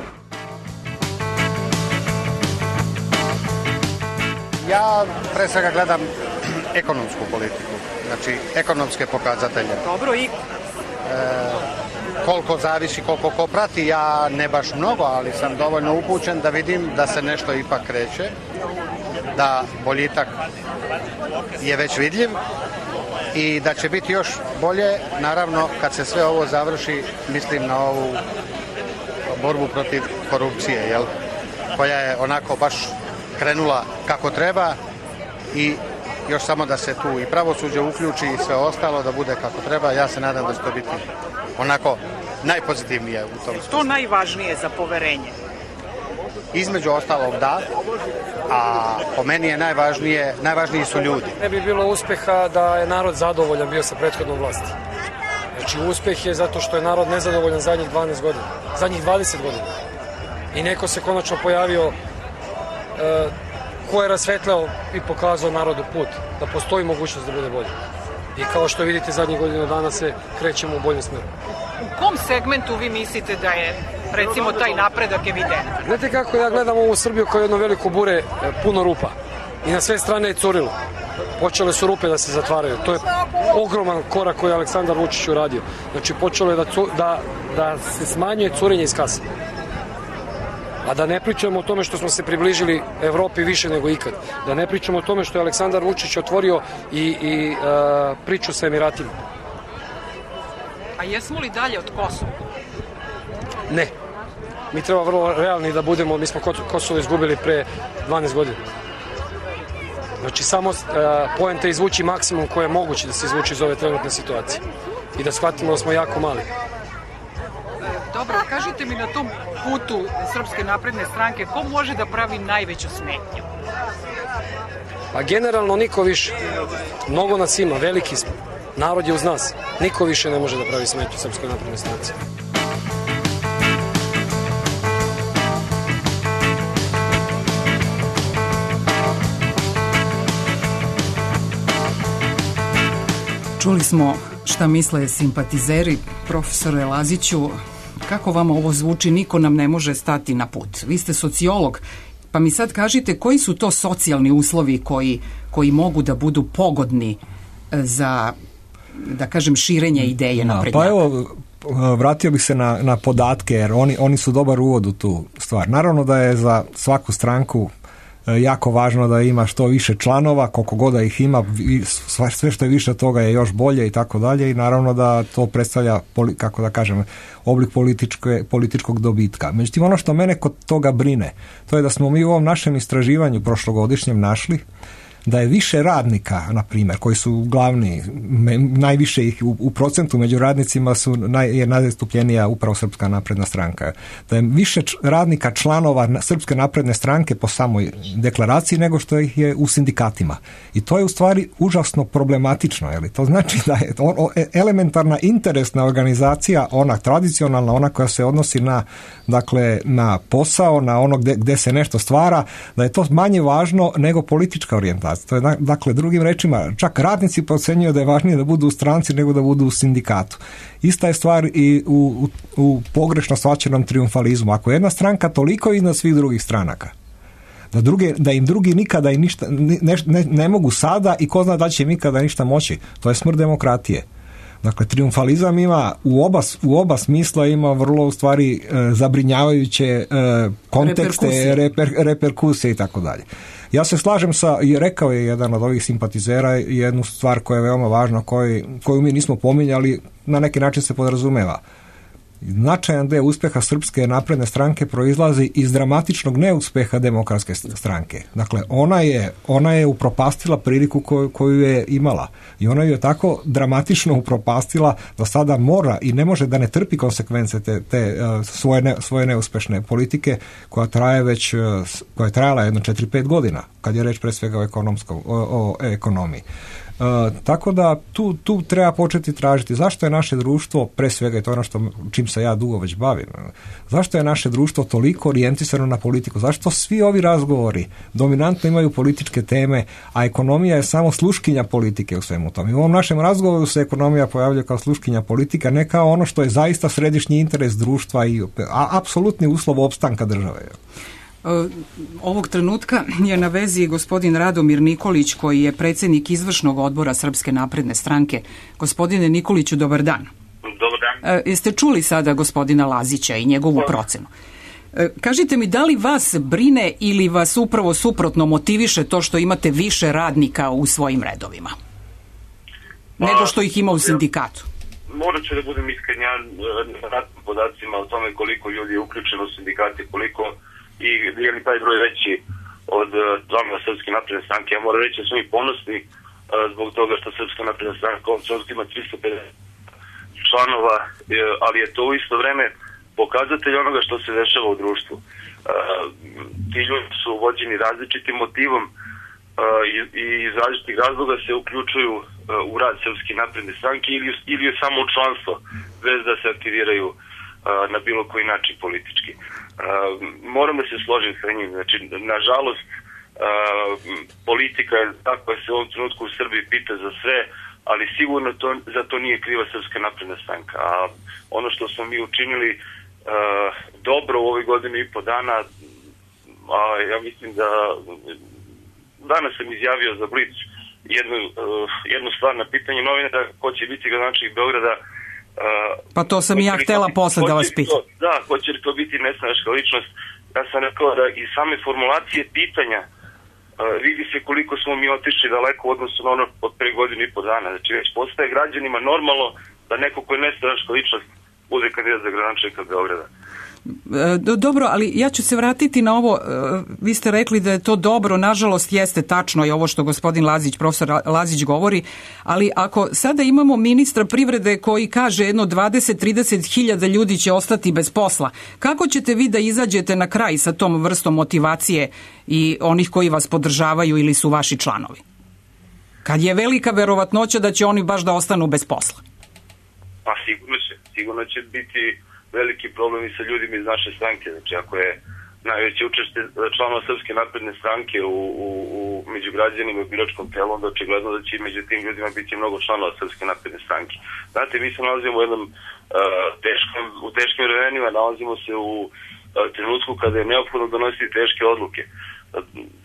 Ja pre svega gledam ekonomsku politiku, znači ekonomske pokazatelje. Dobro, i koliko zavisi, koliko ko prati, ja ne baš mnogo, ali sam dovoljno upućen da vidim da se nešto ipak kreće, da boljitak je već vidljiv i da će biti još bolje, naravno, kad se sve ovo završi, mislim na ovu borbu protiv korupcije, jel? Koja je onako baš krenula kako treba i još samo da se tu i pravosuđe uključi i sve ostalo da bude kako treba. Ja se nadam da će to biti onako najpozitivnije u tom. To najvažnije za poverenje? Između ostalog da, a po meni je najvažniji su ljudi. Ne bi bilo uspeha da je narod zadovoljan bio sa prethodnom vlasti. Znači uspeh je zato što je narod nezadovoljan zadnjih 12 godina, zadnjih 20 godina. I neko se konačno pojavio ko je rasvetljao i pokazao narodu put, da postoji mogućnost da bude bolje. I kao što vidite, zadnjih godina dana se krećemo u boljem smeru. U kom segmentu vi mislite da je, recimo, taj napredak evident? Znate kako ja gledam ovu Srbiju kao jedno veliko bure, puno rupa. I na sve strane je curilo. Počele su rupe da se zatvaraju. To je ogroman korak koji je Aleksandar Vučić uradio. Znači, počelo je da se smanjuje curenje iz kase. A da ne pričamo o tome što smo se približili Evropi više nego ikad. Da ne pričamo o tome što je Aleksandar Vučić otvorio i priču sa Emiratima. A jesmo li dalje od Kosova? Ne. Mi treba vrlo realni da budemo. Mi smo Kosovo izgubili pre 12 godina. Znači samo poenta je izvući maksimum koje je moguće da se izvuči iz ove trenutne situacije. I da shvatimo da smo jako mali. Dobro, kažite mi na tom putu Srpske napredne stranke, ko može da pravi najveću smetnju? Pa generalno niko više. Mnogo nas ima, veliki smo. Narod je uz nas. Niko više ne može da pravi smetnju Srpskoj naprednoj stranci. Čuli smo šta misle simpatizeri. Profesore Laziću, kako vama ovo zvuči? Niko nam ne može stati na put. Vi ste sociolog, pa mi sad kažite koji su to socijalni uslovi koji mogu da budu pogodni za, da kažem, širenje ideje naprednjaka? Pa evo, vratio bih se na podatke, jer oni su dobar uvod u tu stvar. Naravno da je za svaku stranku jako važno da ima što više članova, koliko god da ih ima, sve što je više toga je još bolje i tako dalje, i naravno da to predstavlja, kako da kažem, oblik političkog dobitka. Međutim, ono što mene kod toga brine, to je da smo mi u ovom našem istraživanju prošlogodišnjem našli da je više radnika, na primjer, koji su glavni, najviše ih u procentu među radnicima je najzastupljenija upravo Srpska napredna stranka. Da je više radnika članova Srpske napredne stranke po samoj deklaraciji nego što ih je u sindikatima. I to je u stvari užasno problematično. To znači da je elementarna interesna organizacija, ona tradicionalna, ona koja se odnosi na posao, na ono gdje se nešto stvara, da je to manje važno nego politička orijentacija. To je, dakle, drugim rečima, čak radnici procenjuju da je važnije da budu u stranci nego da budu u sindikatu. Ista je stvar i u pogrešno shvaćenom trijumfalizmu. Ako je jedna stranka toliko iznad svih drugih stranaka, da im drugi nikada i ništa ne mogu sada i ko zna da će im nikada ništa moći, to je smrt demokratije. Dakle, trijumfalizam ima u oba smisla, ima vrlo u stvari zabrinjavajuće kontekste, reperkusije i tako dalje. Ja se slažem rekao je jedan od ovih simpatizera jednu stvar koja je veoma važna, koju mi nismo pominjali, na neki način se podrazumeva. Značajan deo uspjeha Srpske napredne stranke proizlazi iz dramatičnog neuspeha Demokratske stranke. Dakle, ona je upropastila priliku koju je imala. I ona ju je tako dramatično upropastila da sada mora i ne može da ne trpi konsekvence te svoje neuspešne politike koja je trajala jedno 4-5 godina, kad je reč pre svega o ekonomiji. Tako da tu treba početi tražiti zašto je naše društvo, pre svega, i to je ono čim se ja dugo već bavim, zašto je naše društvo toliko orijentisano na politiku, zašto svi ovi razgovori dominantno imaju političke teme, a ekonomija je samo sluškinja politike u svemu tom. I u ovom našem razgovoru se ekonomija pojavlja kao sluškinja politika, ne kao ono što je zaista središnji interes društva i apsolutni uslov opstanka države. Ovog trenutka je na vezi gospodin Radomir Nikolić, koji je predsjednik izvršnog odbora Srpske napredne stranke. Gospodine Nikoliću, dobar dan. Dobar dan. Jeste čuli sada gospodina Lazića i njegovu procenu? Kažite mi, da li vas brine ili vas upravo suprotno motiviše to što imate više radnika u svojim redovima nego što ih ima u sindikatu? Morat ću da budem iskren, ja ne radim podacima o tome koliko ljudi je uključeno u sindikate, koliko i je li taj broj veći od članova Srpske napredne stranke. Ja moram reći da smo i ponosni zbog toga što Srpska napredna stranka ima 350 članova, ali je to u isto vreme pokazatelj onoga što se dešava u društvu. Ti ljudi su vođeni različitim motivom i iz različitih razloga se uključuju u rad Srpske napredne stranke ili samo u članstvo, bez da se aktiviraju na bilo koji način politički. Moram da se složim sa njim. Znači, nažalost, politika je ta koja se u ovom trenutku u Srbiji pita za sve, ali sigurno za to nije kriva Srpska napredna stranka. A ono što smo mi učinili dobro u ovoj godini i po dana, ja mislim da danas sam izjavio za Blic jednu stvar na pitanje novinara ko će biti gradonačelnik Beograda. Pa to sam i ja htjela posle da vas pitam. Da, hoće li to biti nestranačka ličnost? Ja sam rekao da i same formulacije pitanja vidi se koliko smo mi otišli daleko u odnosu na ono od pre godinu i po dana. Znači već postaje građanima normalno da neko ko je nestranačka ličnost bude kandidat za gradonačelnika Beograda. Dobro, ali ja ću se vratiti na ovo, vi ste rekli da je to dobro, nažalost jeste tačno i ovo što gospodin Lazić, profesor Lazić govori, ali ako sada imamo ministra privrede koji kaže jedno 20-30 hiljada ljudi će ostati bez posla, kako ćete vi da izađete na kraj sa tom vrstom motivacije i onih koji vas podržavaju ili su vaši članovi? Kad je velika verovatnoća da će oni baš da ostanu bez posla? Pa sigurno će biti veliki problem i sa ljudima iz naše stranke. Znači, ako je najveće učešće članova Srpske napredne stranke u među građanima i biračkom telu, onda očigledno da će među tim ljudima biti mnogo članova Srpske napredne stranke. Znate, mi se nalazimo u jednom u teškim vremenima, nalazimo se u trenutku kada je neophodno donositi teške odluke.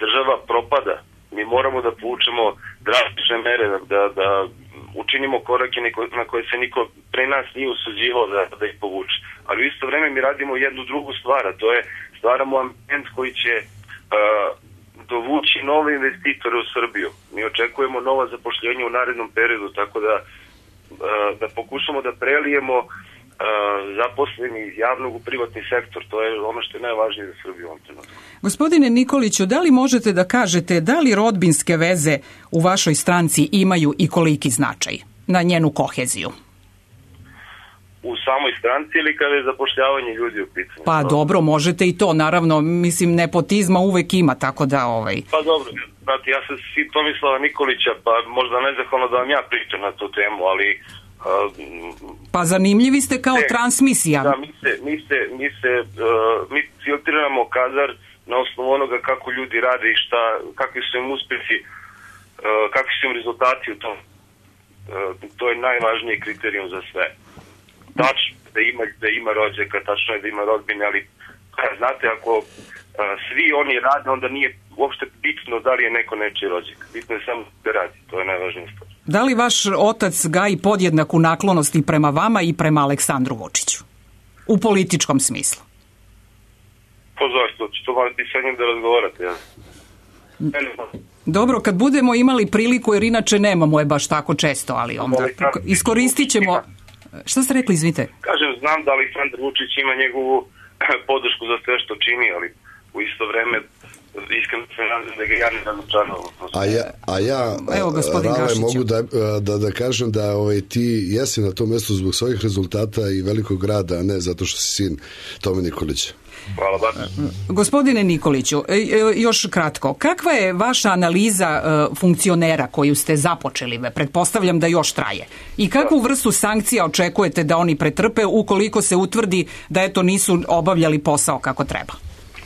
Država propada, mi moramo da povučemo drastične mere, da učinimo korake na koje se niko pre nas nije usuđivao da ih povuče. Ali u isto vreme mi radimo jednu drugu stvar, a to je stvaramo ambijent koji će dovući nove investitore u Srbiju. Mi očekujemo nova zapošljenja u narednom periodu, tako da pokušamo da prelijemo zaposleni iz javnog u privatni sektor. To je ono što je najvažnije za Srbiju u ovom trenutku. Gospodine Nikoliću, da li možete da kažete da li rodbinske veze u vašoj stranci imaju i koliki značaj na njenu koheziju? U samoj stranci ili kada je zapošljavanje ljudi u pitanju? Pa dobro, možete i to, naravno, mislim, nepotizma uvek ima, tako da... Pa dobro, znate, ja sam sin Tomislava Nikolića, pa možda nezahvalno da vam ja pričam na tu temu, ali... Pa zanimljivi ste kao transmisija. Da, mi filtriramo kadar na osnovu onoga kako ljudi rade i kakvi su im uspjesi, kakvi su im rezultati u tom. To je najvažniji kriterijum za sve. Tačno da ima rođaka, tačno je da ima rodbine, ali znate, ako svi oni rade, onda nije uopšte bitno da li je neko nečiji rođak. Bitno je samo da radi, to je najvažnija stvar. Da li vaš otac gaji podjednaku naklonost i prema vama i prema Aleksandru Vučiću? U političkom smislu? Pa zašto? To morate sa njim da razgovarate, ja. Dobro, kad budemo imali priliku, jer inače nemamo je baš tako često, ali onda iskoristit ćemo... Šta ste rekli, izvite? Kažem, znam da Aleksandar Vučić ima njegovu podršku za sve što čini, ali u isto vreme iskreno se nadam da ga ja ne razočaram. A ja Rale, mogu da kažem da ti jesi na tom mjestu zbog svojih rezultata i velikog rada, a ne zato što si sin Tome Nikolića. Hvala ba. Gospodine Nikoliću, još kratko, kakva je vaša analiza funkcionera koju ste započeli? Pretpostavljam da još traje. I kakvu vrstu sankcija očekujete da oni pretrpe ukoliko se utvrdi da nisu obavljali posao kako treba?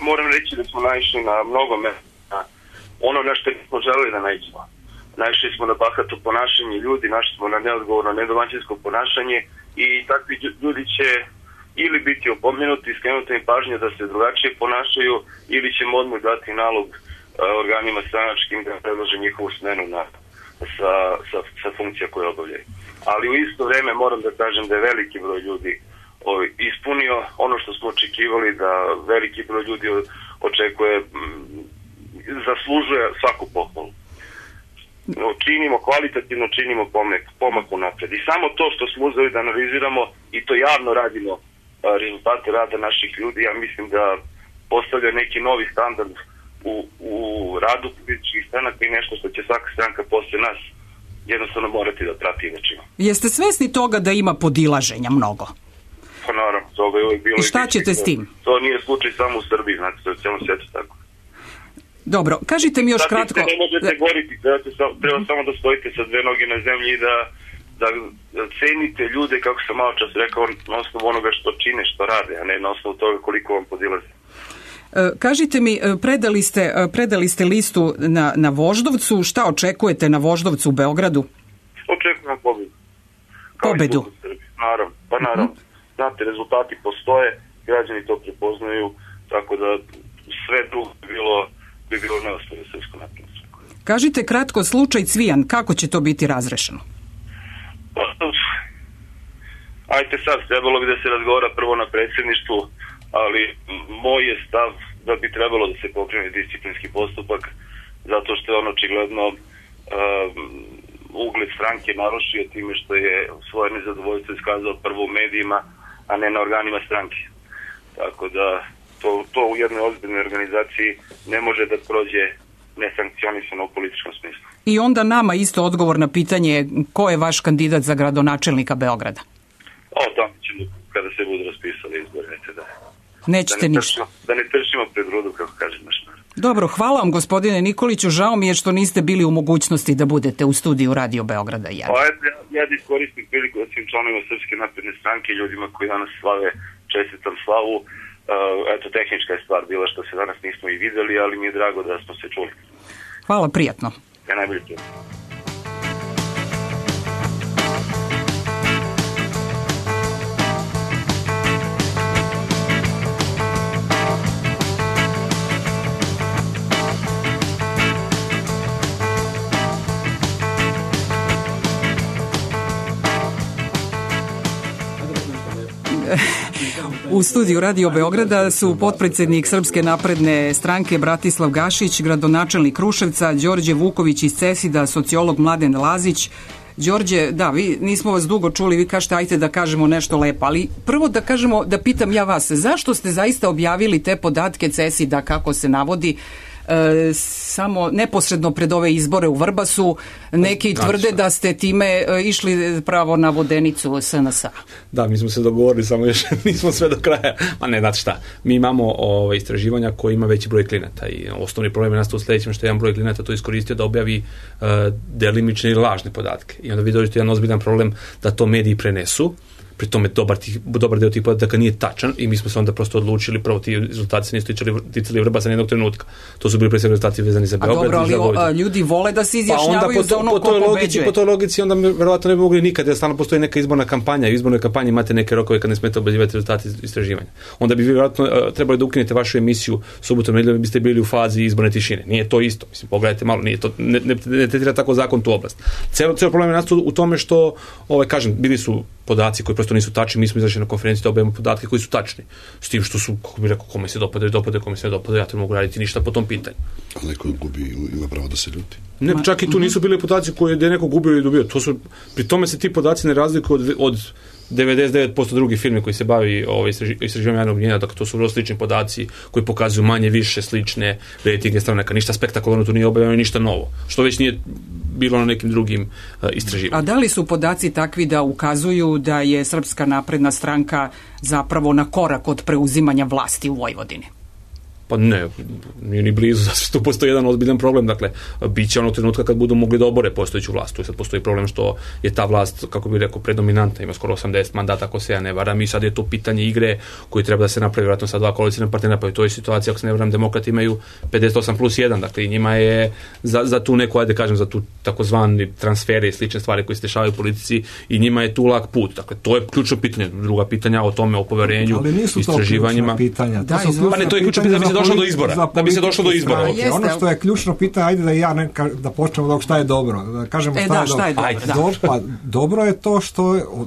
Moram reći da smo naišli na mnogo mesta. Ono na što nismo želeli da naiđemo. Naišli smo na bahato ponašanje ljudi, našli smo na neodgovorno, nedomaćinsko ponašanje i takvi ljudi će ili biti opomenuti, skrenuti im pažnje da se drugačije ponašaju, ili ćemo odmah dati nalog organima stranačkim da predlože njihovu smenu sa funkcija koje obavljaju. Ali u isto vreme moram da kažem da je veliki broj ljudi ispunio ono što smo očekivali, da veliki broj ljudi zaslužuje svaku pohvalu. Kvalitativno činimo pomak unapred. I samo to što smo uzeli da analiziramo i to javno radimo rezultate rada naših ljudi, ja mislim da postavlja neki novi standard u radu političkih stranaka i nešto što će svaka stranka posle nas jednostavno morati da prati i da čini. Jeste svesni toga da ima podilaženja mnogo? Pa naravno, toga je uvijek bilo. I šta ćete s tim? To nije slučaj samo u Srbiji, znate, to je u cijelom svijetu tako. Dobro, kažite mi još kratko... Ne možete goriti, treba samo da stojite sa dve noge na zemlji i da cenite ljude, kako sam malo čas rekao, na osnovu onoga što čine, što rade, a ne na osnovu toga koliko vam podilaze. Kažite mi, predali ste listu na Voždovcu, šta očekujete na Voždovcu u Beogradu? Očekujem pobedu. Pobedu? Naravno. Znate, rezultati postoje, građani to prepoznaju, tako da sve drugo bi bilo neostavno Srpsko napredno stranku. Kažite kratko, slučaj Cvijan, kako će to biti razrešeno? Ajte sad, trebalo bi da se razgovara prvo na predsjedništvu, ali moj je stav da bi trebalo da se pokrene disciplinski postupak, zato što je on očigledno ugled stranke narušio time što je svoje nezadovoljstvo iskazao prvo u medijima, a ne na organima stranke. Tako da to u jednoj ozbiljnoj organizaciji ne može da prođe nesankcionisano u političkom smislu. I onda nama isto odgovor na pitanje ko je vaš kandidat za gradonačelnika Beograda? Tamo ćemo kada se budu raspisali izbori, Nećete ništa. Da ne trčimo pred rudu, kako kaže naš narod. Dobro, hvala vam gospodine Nikoliću, žao mi je što niste bili u mogućnosti da budete u studiju Radio Beograda. Ja da iskoristim priliku da svim članovima Srpske napredne stranke, ljudima koji danas slave, čestitam slavu, eto, tehnička je stvar bila što se danas nismo i videli, ali mi je drago da smo se čuli. Hvala, prijatno. Ja najbolje prijatno. U studiju Radio Beograda su potpredsjednik Srpske napredne stranke Bratislav Gašić, gradonačelnik Kruševca, Đorđe Vuković iz CESID-a, sociolog Mladen Lazić. Đorđe, da, vi nismo vas dugo čuli, vi kažete ajte da kažemo nešto lepo, ali prvo da kažemo, da pitam ja vas, zašto ste zaista objavili te podatke CESID-a kako se navodi samo neposredno pred ove izbore u Vrbasu? Neki tvrde da ste time išli pravo na vodenicu SNS-a. Da, mi smo se dogovorili, samo još nismo sve do kraja. Ma ne, znate šta, mi imamo istraživanja koji ima veći broj klijenata i osnovni problem je nastao u sljedećem što je jedan broj klijenata to iskoristio da objavi delimične ili lažne podatke. I onda vi dođete jedan ozbiljan problem da to mediji prenesu. Pri tome dobar deo tih podataka nije tačan i mi smo se onda prosto odlučili, prvo ti rezultati se nisu ticali Vrbasa nijednog trenutka. To su bili pre svega rezultati vezani za Beograd. A dobro, ali ljudi vole da se izjašnjavaju za ono ko pobeđuje. Po toj logici onda verovatno ne bi mogli nikad, jer stalno postoji neka izborna kampanja i u izbornoj kampanji imate neke rokove kad ne smete objavljivati rezultati istraživanja. Onda bi verovatno trebali da ukinete vašu emisiju subotom nedeljom, biste bili u fazi izborne tišine. Nije to isto. Mislim, pogledajte malo, nije to, ne tretira tako zakon tu oblast. Ceo problem je nastao u tome što, kažem, bili su podaci koji prosto nisu tačni, mi smo izašli na konferenciji da objavimo podatke koji su tačni. S tim što su, kako bih rekao, kome se dopada, kome se ne dopada, ja to mogu raditi ništa po tom pitanju. Ali neko gubi, ima pravo da se ljuti. Ne, čak i tu nisu bili podaci koji je neko gubio ili dobio. Pri tome se ti podaci ne razlikuju od 99% drugih firme koji se bavi istraživanjem javnog mnjenja, dakle to su vrlo slični podaci koji pokazuju manje više slične rejtinge stranaka, ništa spektakularno tu nije objavljeno, ništa novo, što već nije bilo na nekim drugim istraživanjima. A da li su podaci takvi da ukazuju da je Srpska napredna stranka zapravo na korak od preuzimanja vlasti u Vojvodini? Pa ne, nije ni blizu, zato što postoji jedan ozbiljan problem, dakle, bit će onog trenutka kad budu mogli da obore postojeću vlast. Tu sad postoji problem što je ta vlast, kako bih rekao, predominantna, ima skoro 80 mandata, ako se ja ne varam, i sad je to pitanje igre koji treba da se napravi, vjerojatno sa dva koalicijna partnera, pa i to je situacija, ako se ne varam, demokrati imaju 58+1, dakle, i njima je za tu neku, ajde kažem, za tu takozvani transfere i slične stvari koje se dešavaju u politici, i njima je tu lak put. Dakle, to je ključno pitanje. Druga pitanja o tome, o poverenju, istraživanjima. Da bi se došlo do izbora. Ono što je ključno pitanje, ajde da počnemo od šta je dobro. Da kažemo šta je dobro. Pa dobro je to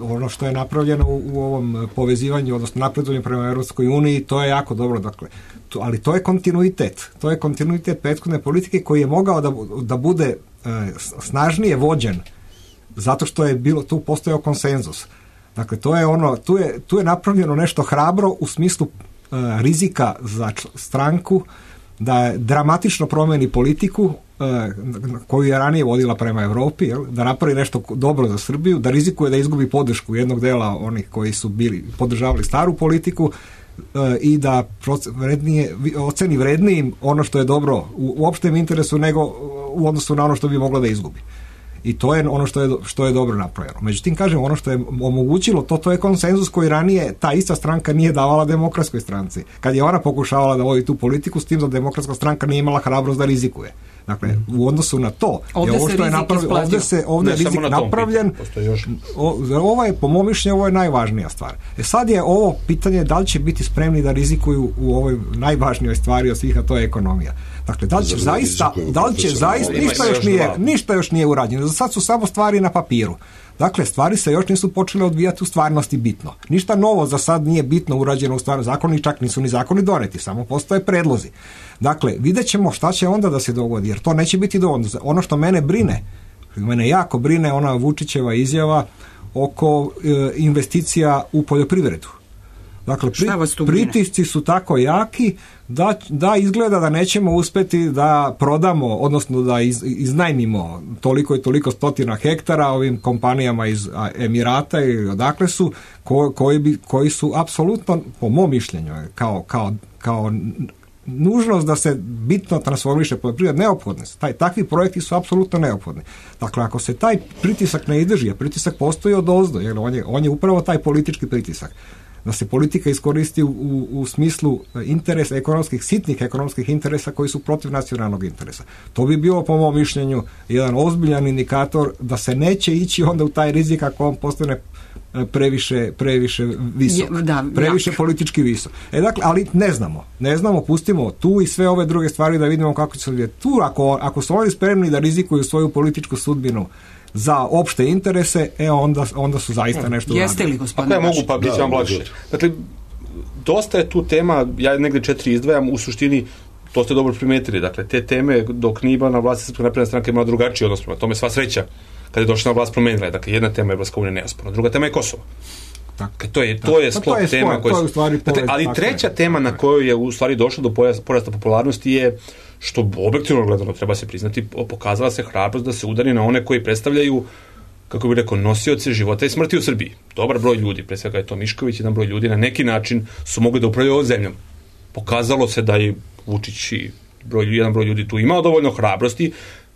ono što je napravljeno u ovom povezivanju, odnosno napredovanju prema Europskoj uniji, to je jako dobro. Dakle, ali to je kontinuitet. To je kontinuitet prethodne politike koji je mogao da bude snažnije vođen zato što je tu postojao konsenzus. Dakle, to je tu je napravljeno nešto hrabro u smislu rizika za stranku da dramatično promeni politiku koju je ranije vodila prema Europi, da napravi nešto dobro za Srbiju, da rizikuje da izgubi podršku jednog dela onih koji su podržavali staru politiku i da oceni vrednijim ono što je dobro u opštem interesu nego u odnosu na ono što bi moglo da izgubi. I to je ono što je dobro napravljeno. Međutim, kažem, ono što je omogućilo to je konsenzus koji ranije ta ista stranka nije davala Demokratskoj stranci. Kad je ona pokušavala da vodi tu politiku, s tim da Demokratska stranka nije imala hrabrost da rizikuje. Dakle, u odnosu na to, ovdje je rizik napravljen. Ovo je, po mom mišljenju, ovo je najvažnija stvar. Sad je ovo pitanje da li će biti spremni da rizikuju u ovoj najvažnijoj stvari od svih, a to je ekonomija. Dakle, da li će zaista ništa još nije urađeno. Za sad su samo stvari na papiru. Dakle, stvari se još nisu počele odvijati u stvarnosti bitno. Ništa novo za sad nije bitno urađeno u stvarnosti. Zakoni čak nisu ni zakoni doneti, samo postoje predlozi. Dakle, vidjet ćemo šta će onda da se dogodi, jer to neće biti dovoljno. Ono što mene jako brine, ona Vučićeva izjava oko investicija u poljoprivredu. Dakle, pritisci su tako jaki da izgleda da nećemo uspjeti da prodamo, odnosno da iznajmimo toliko i toliko stotina hektara ovim kompanijama iz Emirata i odakle su, koji su apsolutno, po mom mišljenju, kao nužnost da se bitno transformiše poljoprivreda neophodne. Takvi projekti su apsolutno neophodni. Dakle, ako se taj pritisak ne izdrži, a pritisak postoji odozdo, jer on je upravo taj politički pritisak. da se politika iskoristi u smislu interesa ekonomskih, sitnih ekonomskih interesa koji su protiv nacionalnog interesa. To bi bio, po mom mišljenju, jedan ozbiljan indikator da se neće ići onda u taj rizik ako on postane previše visok, previše politički visok. Dakle, ali ne znamo, pustimo tu i sve ove druge stvari da vidimo kako će se odvijeti. Tu, ako su oni spremni da rizikuju svoju političku sudbinu za opšte interese, onda su zaista nešto uradili. Jeste li, gospodine? Ako ja mogu, pa bit će vam lakše. Dakle, dosta je tu tema, ja negdje 4 izdvajam, u suštini to ste dobro primetili, dakle, te teme dok nije bila na vlasti Srpska napredna stranka imala drugačiji odnos prema tome, sva sreća kad je došla na vlast promenila. Dakle, jedna tema je Evropska unija neosporna, druga tema je Kosovo. Dakle, to je sklop tema ali treća tema na kojoj je u stvari došlo do porasta popularnosti je, što objektivno gledano treba se priznati, pokazala se hrabrost da se udari na one koji predstavljaju, kako bih rekao, nosioce života i smrti u Srbiji. Dobar broj ljudi, pre svega je to Mišković, jedan broj ljudi na neki način su mogli da upravljaju ovom zemljom. Pokazalo se da je Vučić i jedan broj ljudi tu imao dovoljno hrabrosti.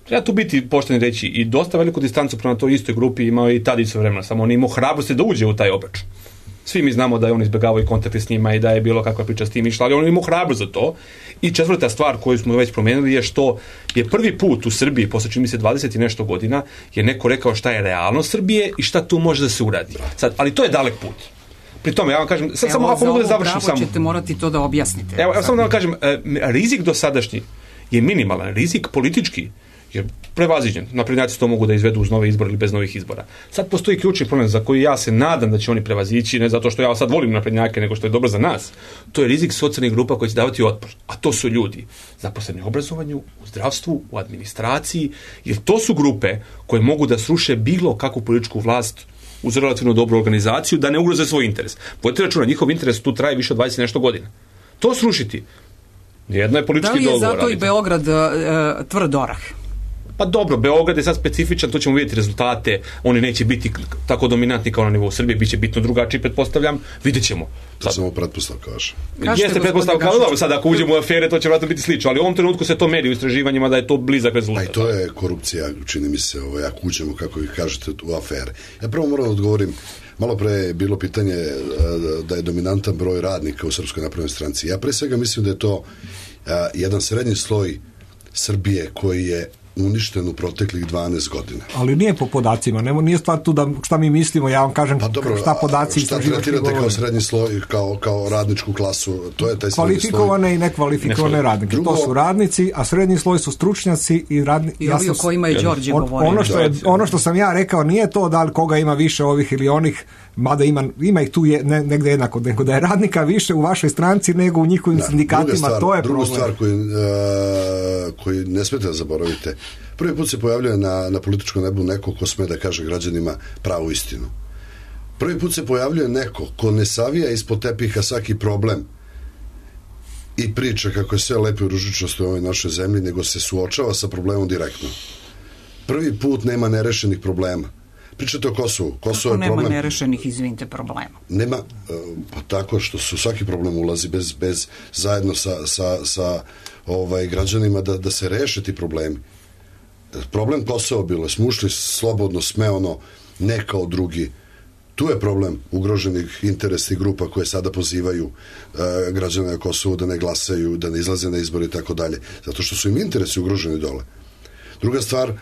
Treba tu biti pošteni reći i dosta veliku distancu prema toj istoj grupi imao i Tadić sve vremena, samo on imao hrabrosti da uđe u taj obračun. Svi mi znamo da je on izbjegavao i kontakte s njima i da je bilo kakva priča s tim išla, ali on imao hrabrost za to. I četvrta stvar koju smo već promenili je što je prvi put u Srbiji, posle čini mi se 20 i nešto godina, je neko rekao šta je realnost Srbije i šta tu može da se uradi. Sad, ali to je dalek put. Pri tome, ja vam kažem, sad samo ako mogu da završim samo. Ćete morati to da objasnite. Evo samo da vam kažem, rizik dosadašnji je minimalan, rizik politički je prevaziđen. Naprednjaci to mogu da izvedu uz nove izbore ili bez novih izbora. Sad postoji ključni problem za koji ja se nadam da će oni prevazići, ne zato što ja sad volim naprednjake, nego što je dobro za nas. To je rizik socijalnih grupa koji će davati otpor. A to su ljudi zaposleni u obrazovanju, u zdravstvu, u administraciji, jer to su grupe koje mogu da sruše bilo kakvu političku vlast uz relativno dobru organizaciju, da ne ugroze svoj interes. Vodite računa, njihov interes tu traje više od 20 nešto godina. To srušiti, jedno je politički dogovor. Da li je zato i Beograd tvrd orah? Pa dobro, Beograd je sad specifičan, to ćemo vidjeti rezultate, oni neće biti tako dominantni kao na nivou Srbije, bit će bitno drugačiji, pretpostavljam, vidjet ćemo. To samo pretpostavka vaša. Jeste pretpostavka, ali dobro, sad ako uđemo u afere, to će vratno biti slično, ali u ovom trenutku se to meri u istraživanjima da je to blizak rezultat. Pa i to je korupcija, čini mi se, ako uđemo, kako vi kažete, u afere. Ja prvo moram da odgovorim, malo pre je bilo pitanje da je dominantan broj radnika u Srpskoj naprednoj stranci. Ja pre svega mislim da je to jedan srednji sloj Srbije koji je uništen u proteklih 12 godina. Ali nije po podacima, nije stvar tu da šta mi mislimo, ja vam kažem šta podaci istraživački govore. Šta tretirate kao srednji sloj, kao radničku klasu, to je taj kvalifikovane i nekvalifikovane radnike. To su radnici, a srednji sloj su stručnjaci i radnici. I ovi o kojima je Đorđe govorio. Ono što sam ja rekao nije to da li koga ima više ovih ili onih, mada ima ih tu negde jednako, nego da je radnika više u vašoj stranci nego u njihovim sindikatima, to je problem. Druga stvar koju ne smete da zaboravite, prvi put se pojavljuje na političkom nebu neko ko sme da kaže građanima pravu istinu. Prvi put se pojavljuje neko ko ne savija ispod tepiha svaki problem i priča kako je sve lepo i ružičasto u ovoj našoj zemlji, nego se suočava sa problemom direktno. Prvi put nema nerešenih problema. Pričate o Kosovu. Kosovo je problem. Nema nerešenih, izvinite, problema? Nema, pa tako što su svaki problem ulazi bez zajedno sa građanima da se reše ti problemi. Problem Kosova bilo, smo ušli slobodno, smeono, ne kao drugi. Tu je problem ugroženih interesnih grupa koje sada pozivaju građane na Kosovu da ne glasaju, da ne izlaze na izbore i tako dalje. Zato što su im interesi ugroženi dole. Druga stvar,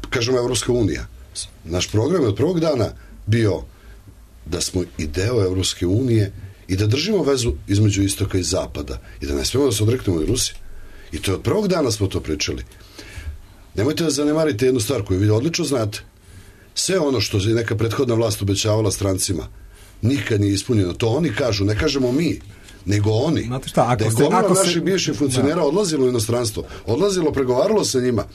kažemo Evropska unija. Naš program je od prvog dana bio da smo i deo Evropske unije i da držimo vezu između istoka i zapada i da ne smemo da se odreknemo od Rusije. I to je od prvog dana smo to pričali. Nemojte da zanemarite jednu stvar koju vi odlično znate. Sve ono što je neka prethodna vlast obećavala strancima nikad nije ispunjeno. To oni kažu, ne kažemo mi, nego oni. Znate šta, da je gomila naših bivših funkcionera odlazilo u inostranstvo, odlazilo, pregovaralo sa njima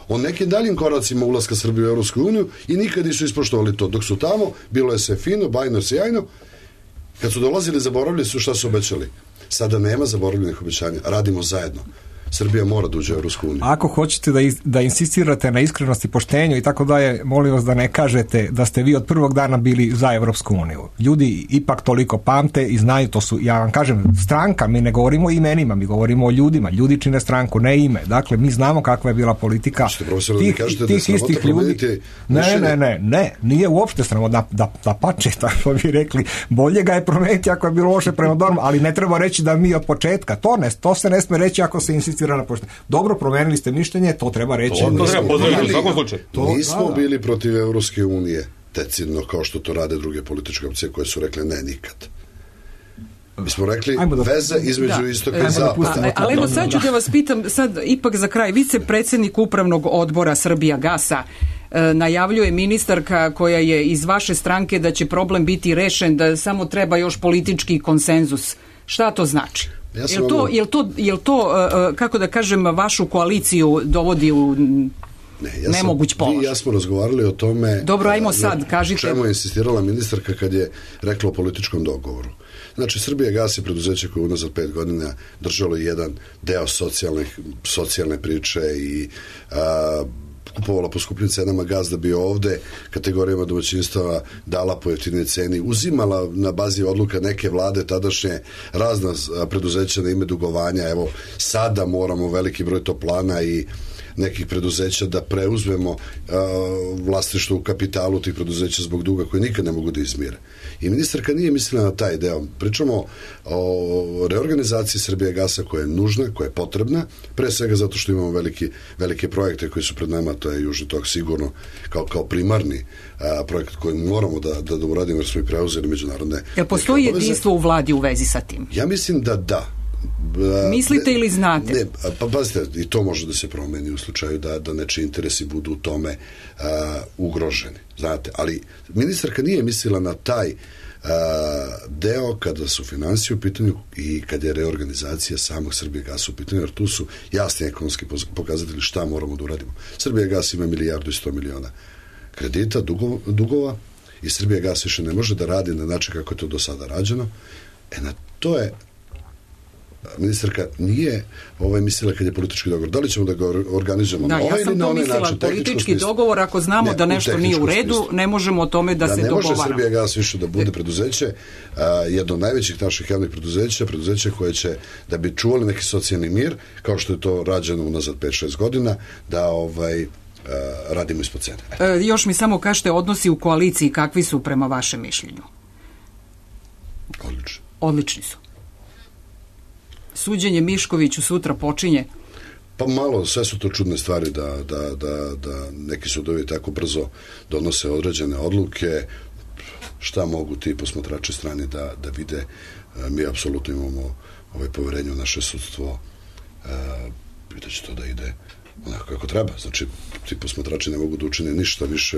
o nekim daljim koracima ulaska Srbije u Evropsku uniju i nikad nisu ispoštovali to. Dok su tamo, bilo je sve fino, bajno, sjajno. Kad su dolazili, zaboravili su šta su obećali. Sada nema zaboravljenih obećanja. Radimo zajedno. Srbija mora da uđe u Evropsku uniju. Ako hoćete da insistirate na iskrenosti, poštenju i tako dalje, molim vas da ne kažete da ste vi od prvog dana bili za Evropsku uniju. Ljudi ipak toliko pamte i znaju, to su, ja vam kažem, stranka, mi ne govorimo o imenima, mi govorimo o ljudima. Ljudi čine stranku, ne ime. Dakle, mi znamo kakva je bila politika tih istih ljudi. Ne, nije uopšte sramota, da pače, tako bi rekli, bolje ga je promeniti ako je bilo loše prema normu, ali ne treba reći da mi od početka, to se ne sme reći ako se insistira na poštenju. Dobro, promenili ste mišljenje, to treba reći. To treba pozdraviti u svakom slučaju. Nismo bili protiv Evropske unije decidno kao što to rade druge političke opcije koje su rekle ne nikad. Mi smo rekli veze između istoka i zapada. Ali evo sad ću da vas pitam, sad ipak za kraj, vicepredsjednik upravnog odbora Srbijagasa najavljuje ministarka koja je iz vaše stranke da će problem biti rešen, da samo treba još politički konsenzus. Šta to znači? Jel to, kako da kažem, vašu koaliciju dovodi u nemoguć položaj? Vi i ja smo razgovarali o tome. Dobro, ajmo sad, kažite. Čemu je insistirala ministarka kad je rekla o političkom dogovoru. Znači, Srbijagas je preduzeće koje unazad 5 godina držalo jedan deo socijalne priče i kupovala po skupljim cenama gaz da bi ovde kategorijama domaćinstava dala po jeftinoj ceni, uzimala na bazi odluka neke vlade tadašnje razna preduzeća na ime dugovanja. Evo, sada moramo veliki broj toplana i nekih preduzeća da preuzmemo vlasništvo u kapitalu tih preduzeća zbog duga koji nikad ne mogu da izmire. I ministarka nije mislila na taj deo. Pričamo o reorganizaciji Srbijagasa koja je nužna, koja je potrebna, pre svega zato što imamo velike projekte koji su pred nama, to je Južni tok sigurno kao primarni projekat koji moramo da uradimo jer smo i preuzeli međunarodne. Jel postoji jedinstvo u vladi u vezi sa tim? Ja mislim da. Mislite ili znate? Ne, pa pazite, i to može da se promeni u slučaju da nečiji interesi budu u tome ugroženi, znate, ali ministarka nije mislila na taj deo kada su finansije u pitanju i kada je reorganizacija samog Srbijagasa u pitanju, jer tu su jasni ekonomski pokazatelji šta moramo da uradimo. Srbijagas ima 1,1 milijarda kredita, dugova i Srbijagas više ne može da radi na način kako je to do sada rađeno. Na to je ministarka nije mislila kad je politički dogovor. Da li ćemo da ga organizujemo na ovaj ili na onaj način? Ja sam to mislila, politički dogovor, ako znamo da nešto nije u redu, ne možemo o tome da se dogovaramo. Ne može Srbijagas više da bude preduzeće, jedno od najvećih naših javnih preduzeća koje će, da bi čuvali neki socijalni mir, kao što je to rađeno unazad 5-6 godina, da radimo ispod cene. Još mi samo kažete, odnosi u koaliciji kakvi su prema vašem mišljenju? Odlični su. Suđenje Miškoviću sutra počinje? Pa malo, sve su to čudne stvari da neki sudovi tako brzo donose određene odluke. Šta mogu ti posmatrači strani da vide? Mi apsolutno imamo poverenje u naše sudstvo i da će to da ide onako kako treba. Znači, ti posmatrači ne mogu da učine ništa više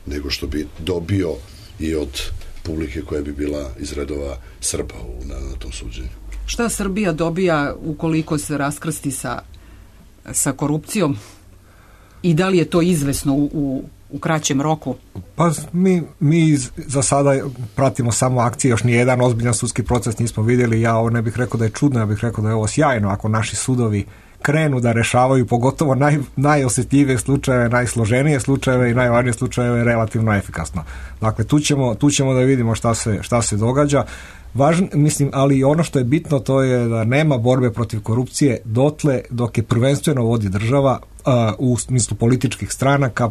nego što bi dobio i od publike koja bi bila iz redova Srba na tom suđenju. Šta Srbija dobija ukoliko se raskrsti sa korupcijom i da li je to izvesno u kraćem roku? Pa mi za sada pratimo samo akcije, još nijedan ozbiljan sudski proces nismo vidjeli. Ja ovo ne bih rekao da je čudno, ja bih rekao da je ovo sjajno ako naši sudovi krenu da rešavaju pogotovo najosjetljivije slučajeve, najsloženije slučajeve i najvažnije slučajeve relativno efikasno. Dakle, tu ćemo da vidimo šta se događa. Mislim, ali ono što je bitno to je da nema borbe protiv korupcije dotle dok je prvenstveno vodi država u smislu političkih stranaka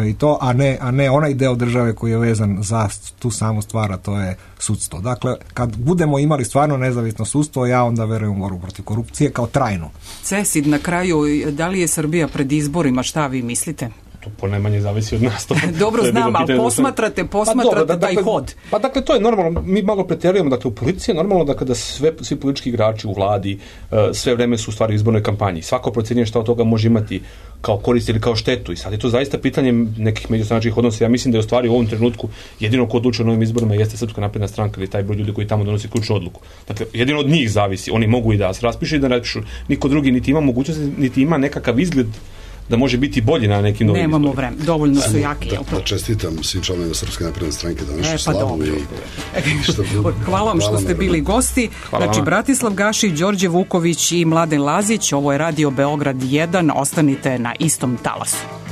i to, a ne onaj deo države koji je vezan za tu samu stvar, a to je sudstvo. Dakle, kad budemo imali stvarno nezavisno sudstvo, ja onda verujem u borbu protiv korupcije kao trajnu. Cesid, na kraju, da li je Srbija pred izborima, šta vi mislite? Po najmanje zavisi od nas. Dobro znam, ali posmatrate taj hod. Pa dakle, to je normalno, mi malo pretjerujemo, dakle u policiji je normalno da kada svi politički igrači u vladi sve vreme su u stvari u izbornoj kampanji. Svako procjenjuje šta od toga može imati kao korist ili kao štetu. I sad je to zaista pitanje nekih međustranačkih odnosa. Ja mislim da je u stvari u ovom trenutku jedino ko odlučuje o novim izborima jeste Srpska napredna stranka ili taj broj ljudi koji tamo donosi ključnu odluku. Dakle, jedino od njih zavisi. Oni mogu i da se raspišu i da raspišu. Niko drugi niti ima mogućnosti, niti ima nekakav izgled da može biti bolji na nekim novim Nemamo vremena, dovoljno su jaki. Da čestitam svim članovima Srpske napredne stranke današnju slavu. Hvala vam što ste bili gosti. Znači, Bratislav Gašić, Đorđe Vuković i Mladen Lazić. Ovo je Radio Beograd 1. Ostanite na istom talasu.